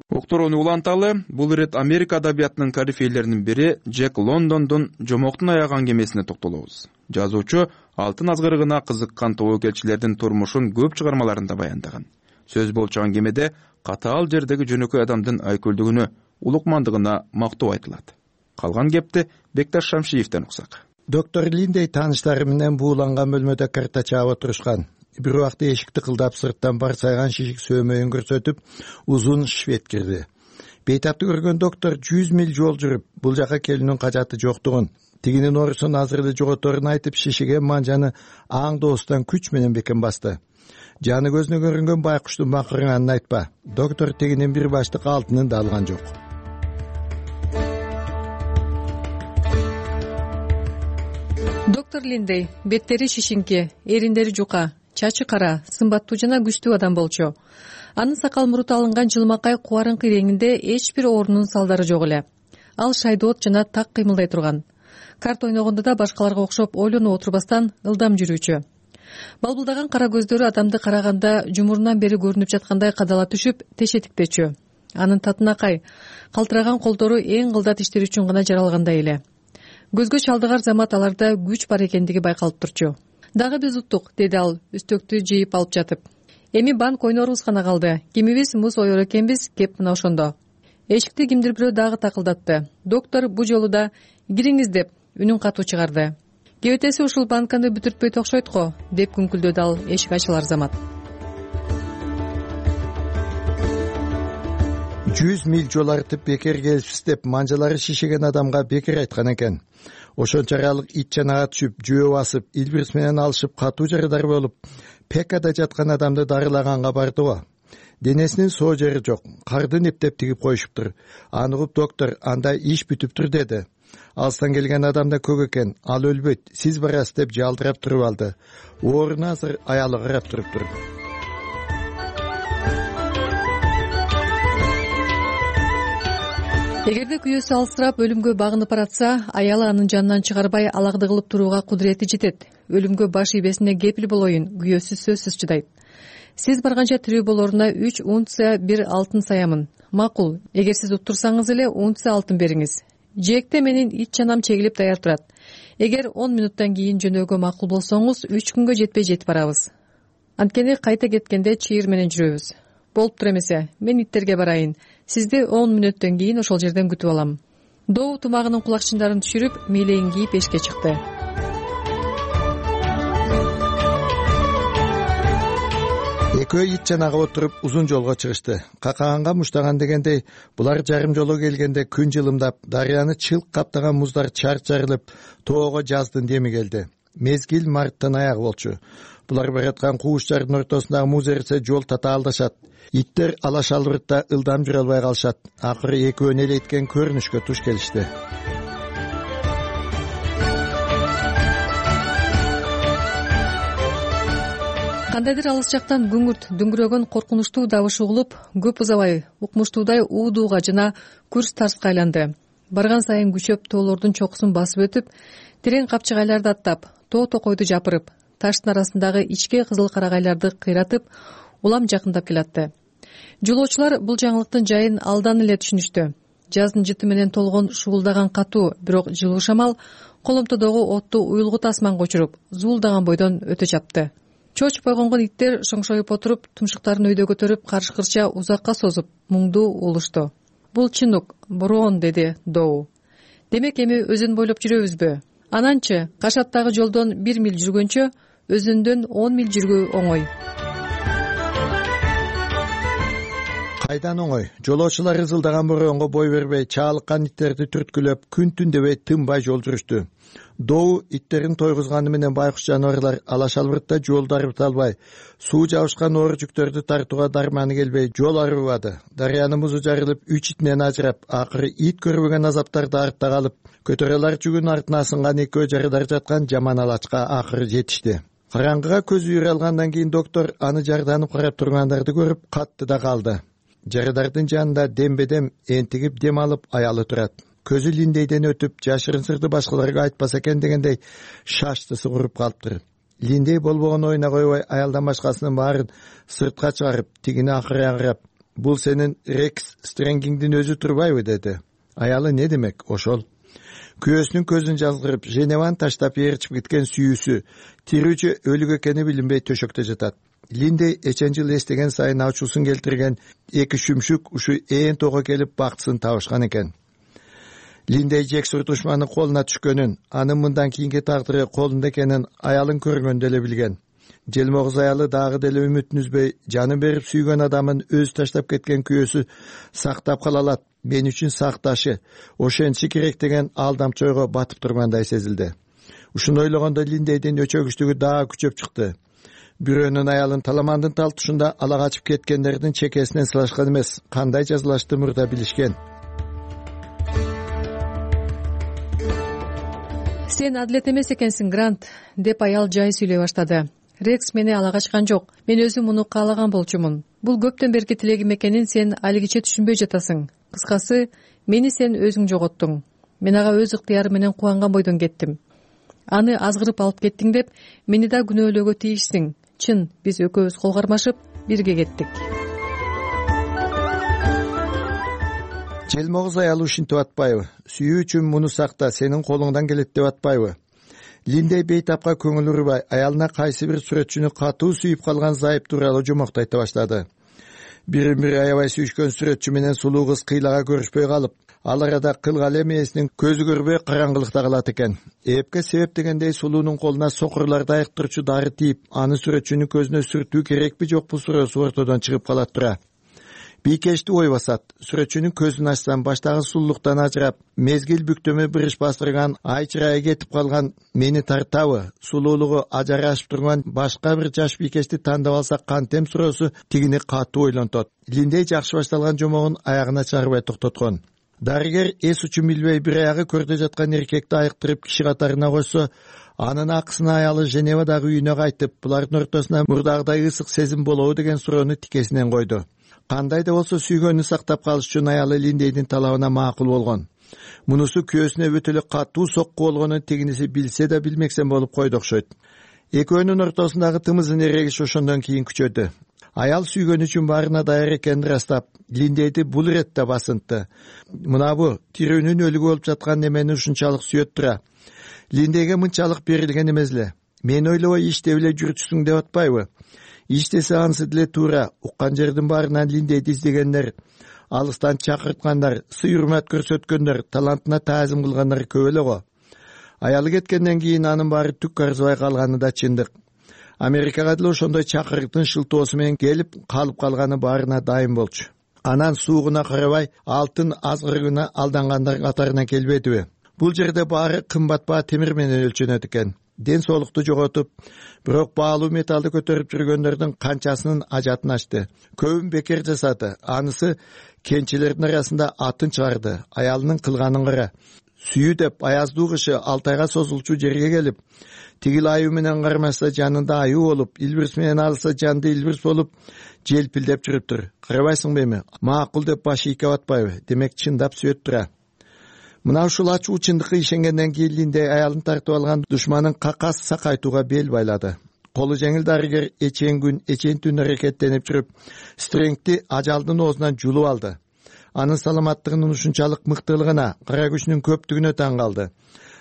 Уктурууну уланталы, бул ирет Америка адабиятынын корифейлеринин бири Джек Лондондун Жомоктун аяган кемесине токтолобуз. Жазуучу алтын азгырыгына кызыккан тобокелчилердин турмушун көп чыгармаларында баяндаган. Сөз болуп чыган кемеде катаал жердеги жөнөкөй адамдын айкөлдүгүнө, улукмандыгына мактоо айтылат. Калган кепти Бекташ Шамшиевден уксак. Доктор Линдей тааныштары менен бууланган бөлмөдө карта чаап отурушкан. Бир убакта эшикти кылдап сырттан барсайган шишик сөөмөйүн көрсөтүп, узун швед кирди. Бейтапты көргөн доктор 100 миль жол жүрүп, бул жака келүүнүн кажаты жоктугун, тигинин орусун азыр эле жоготорун айтып, шишиген манжаны аң доостан күч менен бекен басты. Жаны көзүнө көрүнгөн байкуштун бакырганын айтпа. Доктор тигинин бир баштык алтынын да алган жок. Доктор Линдей беттери шишинки, эриндери жука, чачы кара, сымбаттуу жана күчтүү адам болчу. Анын сакал муруту алынган жылмакай кубарыңкы реңинде эч бир оорунун салдары жок эле. Ал шайдоот жана так кыймылдай турган. Карт ойногондо да башкаларга окшоп ойлонуп отурбастан ылдам жүрүүчү. Балбылдаган кара көздөрү адамды караганда жумурунан бери көрүнүп жаткандай кадала түшүп, тешетикпечү. Анын татынакай, калтыраган колдору эң кылдат иштер үчүн гана жаралгандай эле. Көзгө чалдыгар замат аларда күч бар экендиги байкалып турчу. Дагы биз уттук, деди ал, үстөктү жыйып алып жатып. Эми банк ойнорубуз гана калды. Кимибиз муз ойор экенбиз, кеп мына ошондо. Эшикти кимдир бирөө дагы такылдатты. Доктор бу жолу да кириңиз деп үнүн катуу чыгарды. Кебетеси ушул банканы бүтүртпөйт окшойт го, деп күңкүлдөдү ал эшик ачылар замат. 100 миль жол артып бекер келипсиз деп манжалары шишеген адамга бекер айткан экен. Ошончалык ит чанага түшүп, жөө басып, илбирс менен алышып, катуу жарадар болуп, пекада жаткан адамды дарылаганга барды го. Денесинин соо жери жок, карды нептеп тигип коюшуптур. Аны угуп доктор, анда иш бүтүптүр деди. Алыстан келген адам да көк экен, ал өлбөйт, сиз барасыз деп жалдырап туруп алды. Ооруна азыр аялы карап туруптур. Эгерде күйөөсү алсырап өлүмгө багынып баратса, аялы анын жанынан чыгарбай алакты кылып турууга кудурети жетет. Өлүмгө баш ийбесине кепил болоюн, күйөөсү сөзсүз чыдайт. Сиз барганча тирүү болоруна 3 унция бир алтын саямын. Макул, эгер сиз уттурсаңыз эле унция алтын бериңиз. Жээкте менин ит чанам чегилип даяр турат. Эгер 10 минуттан кийин жөнөөгө макул болсоңуз, 3 күнгө жетпей жетип барабыз. Анткени кайта кеткенде чыйыр менен жүрөбүз. Болуптур эмесе, мен иттерге барайын. Сизди 10 мүнөттөн кийин ошол жерден күтүп алам. Доо тумагынын кулакчындарын түшүрүп, мээлегин кийип эшикке чыкты. Экөө ит жанагы отуруп узун жолго чыгышты. Какаганга муштаган дегендей, булар жарым жолго келгенде күн жылымдап, дарыяны чылк каптаган муздар чарчарылып, тоого жаздын деми келди. Мезгил марттын аягы болчу. Булар бараткан кууштардын ортосундагы муз эрисе жол татаалдашат. Иттер алаш албыртта ылдам жүрө албай калышат. Акыры экөөнү элейткен көрүнүшкө туш келишти. Кандайдыр алыс жактан күңүрт дүңгүрөгөн коркунучтуу дабыш угулуп, көп узабай укмуштуудай уудууга жана күрс тарска айланды. Барган сайын күчөп тоолордун чокусун басып өтүп, терең капчыгайларды аттап, тоо токойду жапырып, таштын арасындагы ичке кызыл карагайларды кыйратып, улам жакындап келатты. Жолоочулар бул жаңылыктын жайын алдан эле түшүнүштү. Жаздын жыты менен толгон шуулдаган катуу, бирок жылуу шамал коломтодогу отту уюлгут асманга учуруп, зуулдаган бойдон өтө чапты. Чочуп койгонгон иттер шоңшоюп отуруп, тумшуктарын өйдө көтөрүп, каршы-кырча узакка созуп, муңдуу улушту. Бул чынук, бороон, деди Доу. Демек эми өзөн бойлоп жүрөбүзбү? Ананчы Кашаттагы жолдон 1 миль жүргөнчө, өзөндөн 10 миль жүргөө оңой. Кайдан оңой? Жолоочулар ызылдаган бороонго бой бербей, чаалыккан иттерди түрткүлөп, күн түн дебей тынбай жол жүрүштү. Доу иттерин тойгузганы менен байкуш жаныбарлар алаш албыртта жол дарыта албай, суу жабышкан оор жүктөрдү тартууга дарманы келбей жол арыбады. Дарыянын музу жарылып, 3 итинен ажырап, акыры ит көрбөгөн азаптарды артта калып, көтөрөлөр жүгүн артына асынган экөө жарыдар жаткан жаман алачка акыры жетишти. Караңгыга көзү үйрө алгандан кийин доктор аны жарданып карап тургандарды көрүп катты да калды. Жарыдардын жанында дембедем энтигип дем алып аялы турат. Көзү Линдейден өтүп, жашырын сырды башкаларга айтпаса экен дегендей шаштысы куруп калыптыр. Линдей болбогон оюна койбой, аялдан башкасынын баарын сыртка чыгарып, тигини акыры карап, бул сенин Рекс Стрэнгиңдин өзү турбайбы, деди. Аялы не демек, ошол. Күйөөсүнүн көзүн жазгырып, Женеван таштап ээрчип кеткен сүйүүсү, тирүүчү өлүк экени билинбей төшөктө жатат. Линдей эчен жыл эстеген сайын ачуусун келтирген эки шүмшүк ушу ээн тоого келип бактысын табышкан экен. Линдей Жексур душманын колуна түшкөнүн, анын мындан кийинки тагдыры колунда экенин аялын көргөндө эле билген. Желмогуз аялы дагы деле үмүтүн үзбөй, жанын берип сүйгөн адамын өзү таштап кеткен күйөөсү сактап кала алат, мен үчүн сакташы, ошентиши керек деген алдамчы ойго батып тургандай сезилди. Ушуну ойлогондо Линдейдин өчөгүчтүгү дагы күчөп чыкты. Бирөөнүн аялын таламандын талтышында ала качып кеткендердин чекесинен сылашкан эмес, кандай жазылашты мурда билишкен. Сен адилет эмес экенсиң, Грант, деп аял жай сүйлөй баштады. Рекс мени ала качкан жок. Мен өзүм муну каалаган болчумун. Бул көптөн берки тилегим экенин сен алигиче түшүнбөй жатасың. Кыскасы, мени сен өзүң жоготтуң. Мен ага өз ыктыярым менен кубанган бойдон кеттим. Аны азгырып алып кеттиң деп, мени да күнөөлөөгө тийишсиң. Чын, биз экөөбүз кол кармашып, бирге кеттик. Желмогуз аялы ушинтип атпайбы? Сүйүү үчүн муну сакта, сенин колуңдан келет деп атпайбы? Линдей бейтапка көңүл урбай, аялына кайсы бир сүрөтчүнү катуу сүйүп калган зайып тууралуу жомокту айта баштады. Бирин бири аябай сүйүшкөн сүрөтчү менен сулуу кыз кыйлага көрүшпөй калып, ал арада кылгалы эмесинин көзү көрбөй караңгылыкта калат экен. Эпке себеп дегендей сулуунун колуна сокурларды айыктырчу дары тийип, аны сүрөтчүнүн көзүнө сүртүү керекпи жокпу суроосу ортодон чыгып калат тура. Бийкешти ой басат. Сүрөтчүнүн көзүн ачсам, баштагы сулуулуктан ажырап, мезгил бүктөмө бириш бастырган, ай чырайы кетип калган мени тартабы, сулуулугу ажарашып турган башка бир жаш бийкешти тандап алсак кантем суроосу тигини катуу ойлонтот. Линдей жакшы башталган жомогун аягына чыгарбай токтоткон. Дарыгер эс учун билбей бир аягы көрдө жаткан эркекти айыктырып киши катарына койсо, анын акысына аялы Женевадагы үйүнө кайтып, булардын ортосуна мурдагыдай ысык сезим болобу деген суроону тикесинен койду. Кандай да болсо сүйгөнүн сактап калыш үчүн аялы Линдейдин талабына макул болгон. Мунусу күйөөсүнө өтө эле катуу сокку болгонун тигиниси билсе да билмексен болуп койду окшойт. Экөөнүн ортосундагы тымызын эрегиш ошондон кийин күчөдү. Аял сүйгөн үчүн баарына даяр экенин ырастап, Линдейди бул иретте басынтты. Мына бу тирүүнүн өлүгү болуп жаткан немени ушунчалык сүйөт тура. Линдейге мынчалык берилген эмес эле. Мен ойлобой иштеп эле жүрчүсүң деп атпайбы? иштесе анысы деле туура. Уккан жердин баарынан Линдейди издегендер, алыстан чакырткандар, сый-урмат көрсөткөндөр, талантына таазим кылгандар көп эле го. Аялы кеткенден кийин анын баары түк арзыбай калганы да чындык. Америкага деле ошондой чакырыктын шылтоосу менен келип калып калганы баарына дайым болчу. Анан суугуна карабай алтын азгырыгына алдангандар катарына келбедиби? Бул жерде баары кымбат баа темир менен өлчөнөт экен. Ден соолукту жоготуп, бирок баалуу металлды көтөрүп жүргөндөрдүн канчасынын ажатын ачты. Көбүн бекер жасады. Анысы кенчелердин арасында атын чыгарды. Аялынын кылганын кара. Сүйүү деп аяздуу кышы 6 айга созулчу жерге келип, тигил аюу менен кармашса жанында аюу болуп, илбирс менен алса жанды илбирс болуп, желпилдеп жүрүптүр. Карабайсыңбы эми? Макул деп башы ийке батпайбы? Демек чындап сүйөт тура. Мына ушул ачуу чындыкка ишенгенден кийин Линдей аялын тартып алган душманын какас сакайтууга бел байлады. Колу жеңил дарыгер эчен күн, эчен түн аракеттенип жүрүп, Стрэнгти ажалдын оозунан жулуп алды. Анын саламаттыгынын ушунчалык мыктылыгына, кара күчүнүн көптүгүнө таң калды.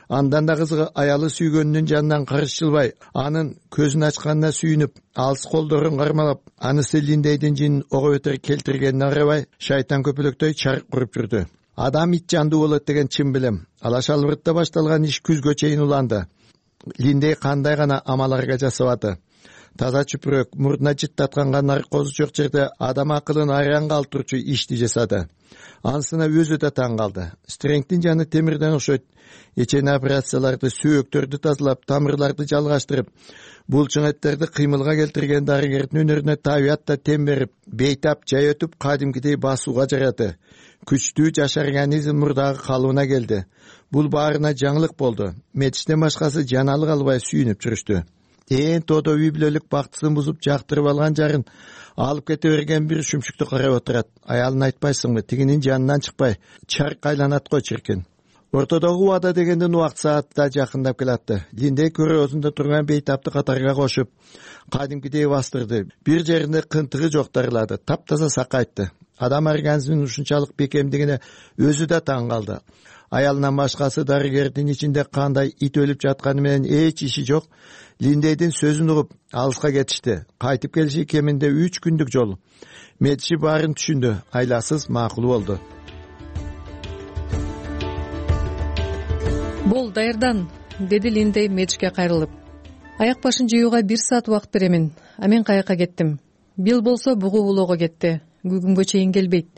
Андан да кызыгы аялы сүйгөнүнүн жанынан карыш жылбай, анын көзүн ачканына сүйүнүп, алыс колдорун кармалап, анысы Линдейдин жинин ого бетер келтиргенине карабай, шайтан көпөлөктөй чарык куруп жүрдү. Адам ит жандуу болот деген чын билем. Алаш албыртта башталган иш күзгө чейин уланды. Линдей кандай гана амаларга жасабады. Таза чүпүрөк, мурдуна жыттатканга наркозу жок жерде адам акылын айран калтырчу ишти жасады. Анысына өзү да таң калды. Стрэнгтин жаны темирден окшойт. Эчен операцияларды, сүйөктөрдү тазалап, тамырларды жалгаштырып, булчуңеттерди кыймылга келтирген дарыгердин өнөрүнө табият да тем берип, бейтап жай өтүп кадимкидей басууга жараты. Күчтүү жаш организм мурдагы калыбына келди. Бул баарына жаңылык болду. Метиштен башкасы жаналы калбай сүйүнүп жүрүштү. Тодо үй бүлөлүк бактысын бузуп жактырып алган жарын алып кете берген бир шүмшүктү карап отурат. Аялын айтпайсыңбы, тигинин жанынан чыкпай, чарк айланат го чиркин. Ортодогу убада дегенден убакыт сааты да жакындап келатты. Линдей көрөзүндө турган бейтапты катарга кошуп, кадимкидей бастырды. Бир жеринде кынтыгы жок дарылады, таптаза сакайтты. Адам организминин ушунчалык бекемдигине өзү да таң калды. Аялынан башкасы дарыгердин ичинде кандай ит өлүп жатканы менен эч иши жок. Линдейдин сөзүн угуп, алыска кетишти. Кайтып келиши кеминде 3 күндүк жол. Метиши баарын түшүндү, айласыз макул болду. Бол даярдан, деди Линдей Метишке кайрылып. Аяк башын жууга 1 саат убакыт беремин. А мен каяка кеттим. Бил болсо бугу улоого кетти. Бүгүнгө чейин келбейт.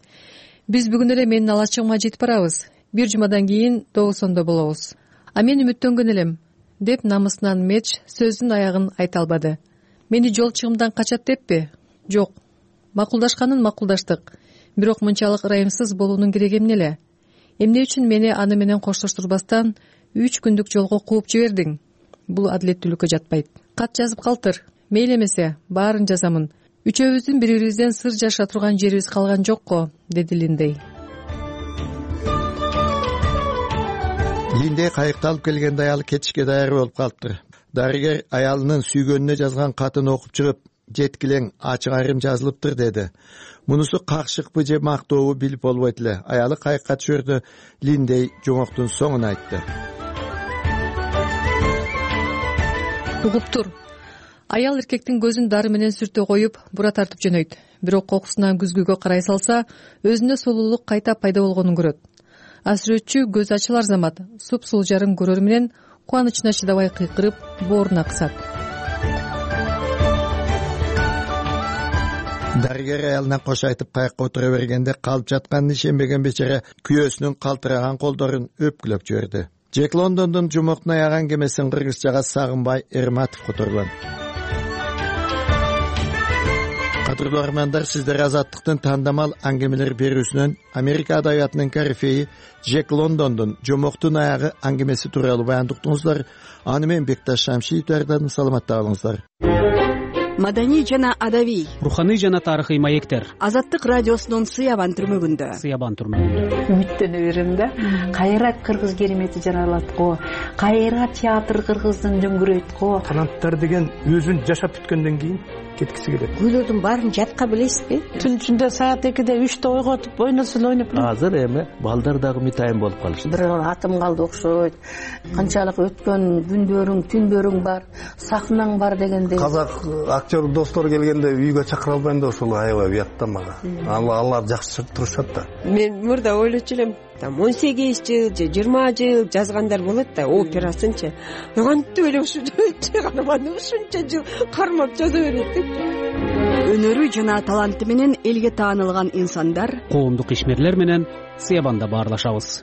Биз бүгүн эле менин алачыгыма жетип барабыз. 1 жумадан кийин Добусондо болобуз. А мен үмүттөнгөн элем, деп намысынан Метиш сөздүн аягын айта албады. Мени жол чыгымдан качат деппи? Жок. Макулдашканын макулдаштык. Бирок мынчалык ырайымсыз болуунун кереги эмне эле? Эмне үчүн мени аны менен коштоштурбастан 3 күндүк жолго кууп жибердиң? Бул адилеттүүлүккө жатпайт. Кат жазып калтыр. Мейли эмесе, баарын жазамын. Үчөөбүздүн бири-бирибизден сыр жаша турган жерибиз калган жок го, деди Линдей. Линдей кайыкты алып келгенде аялы кетишке даяр болуп калыптыр. Дарыгер аялынын сүйгөнүнө жазган катын окуп чыгып, жеткилең, ачык айрым жазылыптыр деди. Мунусу какшыкпы же мактообу билип болбойт эле. Аялы кайыкка түшөрдө Линдей жомоктун соңун айтты. Угуп тур. Аял эркектин көзүн дары менен сүртө коюп, бура тартып жөнөйт. Бирок кокусунан күзгүгө карай салса, өзүнө сулуулук кайта пайда болгонун көрөт. Асүрөтчү көз ачылар замат суп-сулуу жарын көрөр менен кубанычына чыдабай кыйкырып, бооруна кысат. Дарыгер аялына кош айтып кайыкка отура бергенде калып жатканын ишенбеген бечара күйөөсүнүн калтыраган колдорун өпкүлөп жиберди. Джек Лондондун жумоктун аяган кемесин Кыргызчага Сагынбай Эрматов которгон. Кадырлуу армандар, сиздер Азаттыктын тандамал аңгемелер берүүсүнөн Америка адабиятынын корифеи Джек Лондондун жомоктун аягы аңгемеси тууралуу баяндап уктуңуздар. Аны мен Бекташ Шамшиев даярдадым. Саламатта болуңуздар. Маданий жана адабий, руханий жана тарыхый маектер. Азаттык радиосунун Сыябан түрмөгүндө. Үмүттөнө берем да. Кайра кыргыз керемети жаралат го. Кайра театр кыргыздын дөңгүрөйт го. Таланттар деген өзүн жашап бүткөндөн кийин кеткиси келет. Күйлөрдүн баарын жатка билесизби? Түн ичинде саат 2-де 3-те ойготуп ойносун ойноп. Азыр эми балдар дагы митайым болуп калышты. Бир атым калды окшойт. Канчалык өткөн күндөрүң, түндөрүң бар, сахнаң бар дегендей. Казак актер достор келгенде үйгө чакыра албайм да, ошол аябай уят да мага. Алар жакшы турушат да. Мен мурда ойлочу элем, 18 жыл же 20 жыл жазгандар болот да, операсынчы. Кантип эле ушунча гана ушунча жыл кармап жаза берет деп. Өнөрү жана таланты менен элге таанылган инсандар коомдук ишмерлер менен Сыябанда баарлашабыз.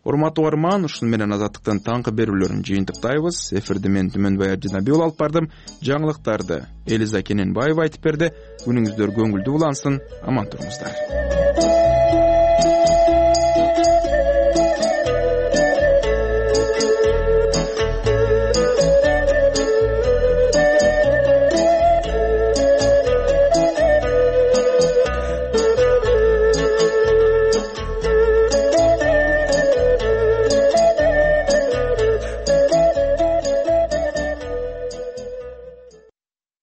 Урматтуу угарман, ушуну менен Азаттыктын таңкы берүүлөрүн жыйынтыктайбыз. Эфирди мен Түмөнбай Ажынабеков алып бардым. Жаңылыктарды Элиза Кененбаева айтып берди. Күнүңүздөр көңүлдүү улансын, аман туруңуздар.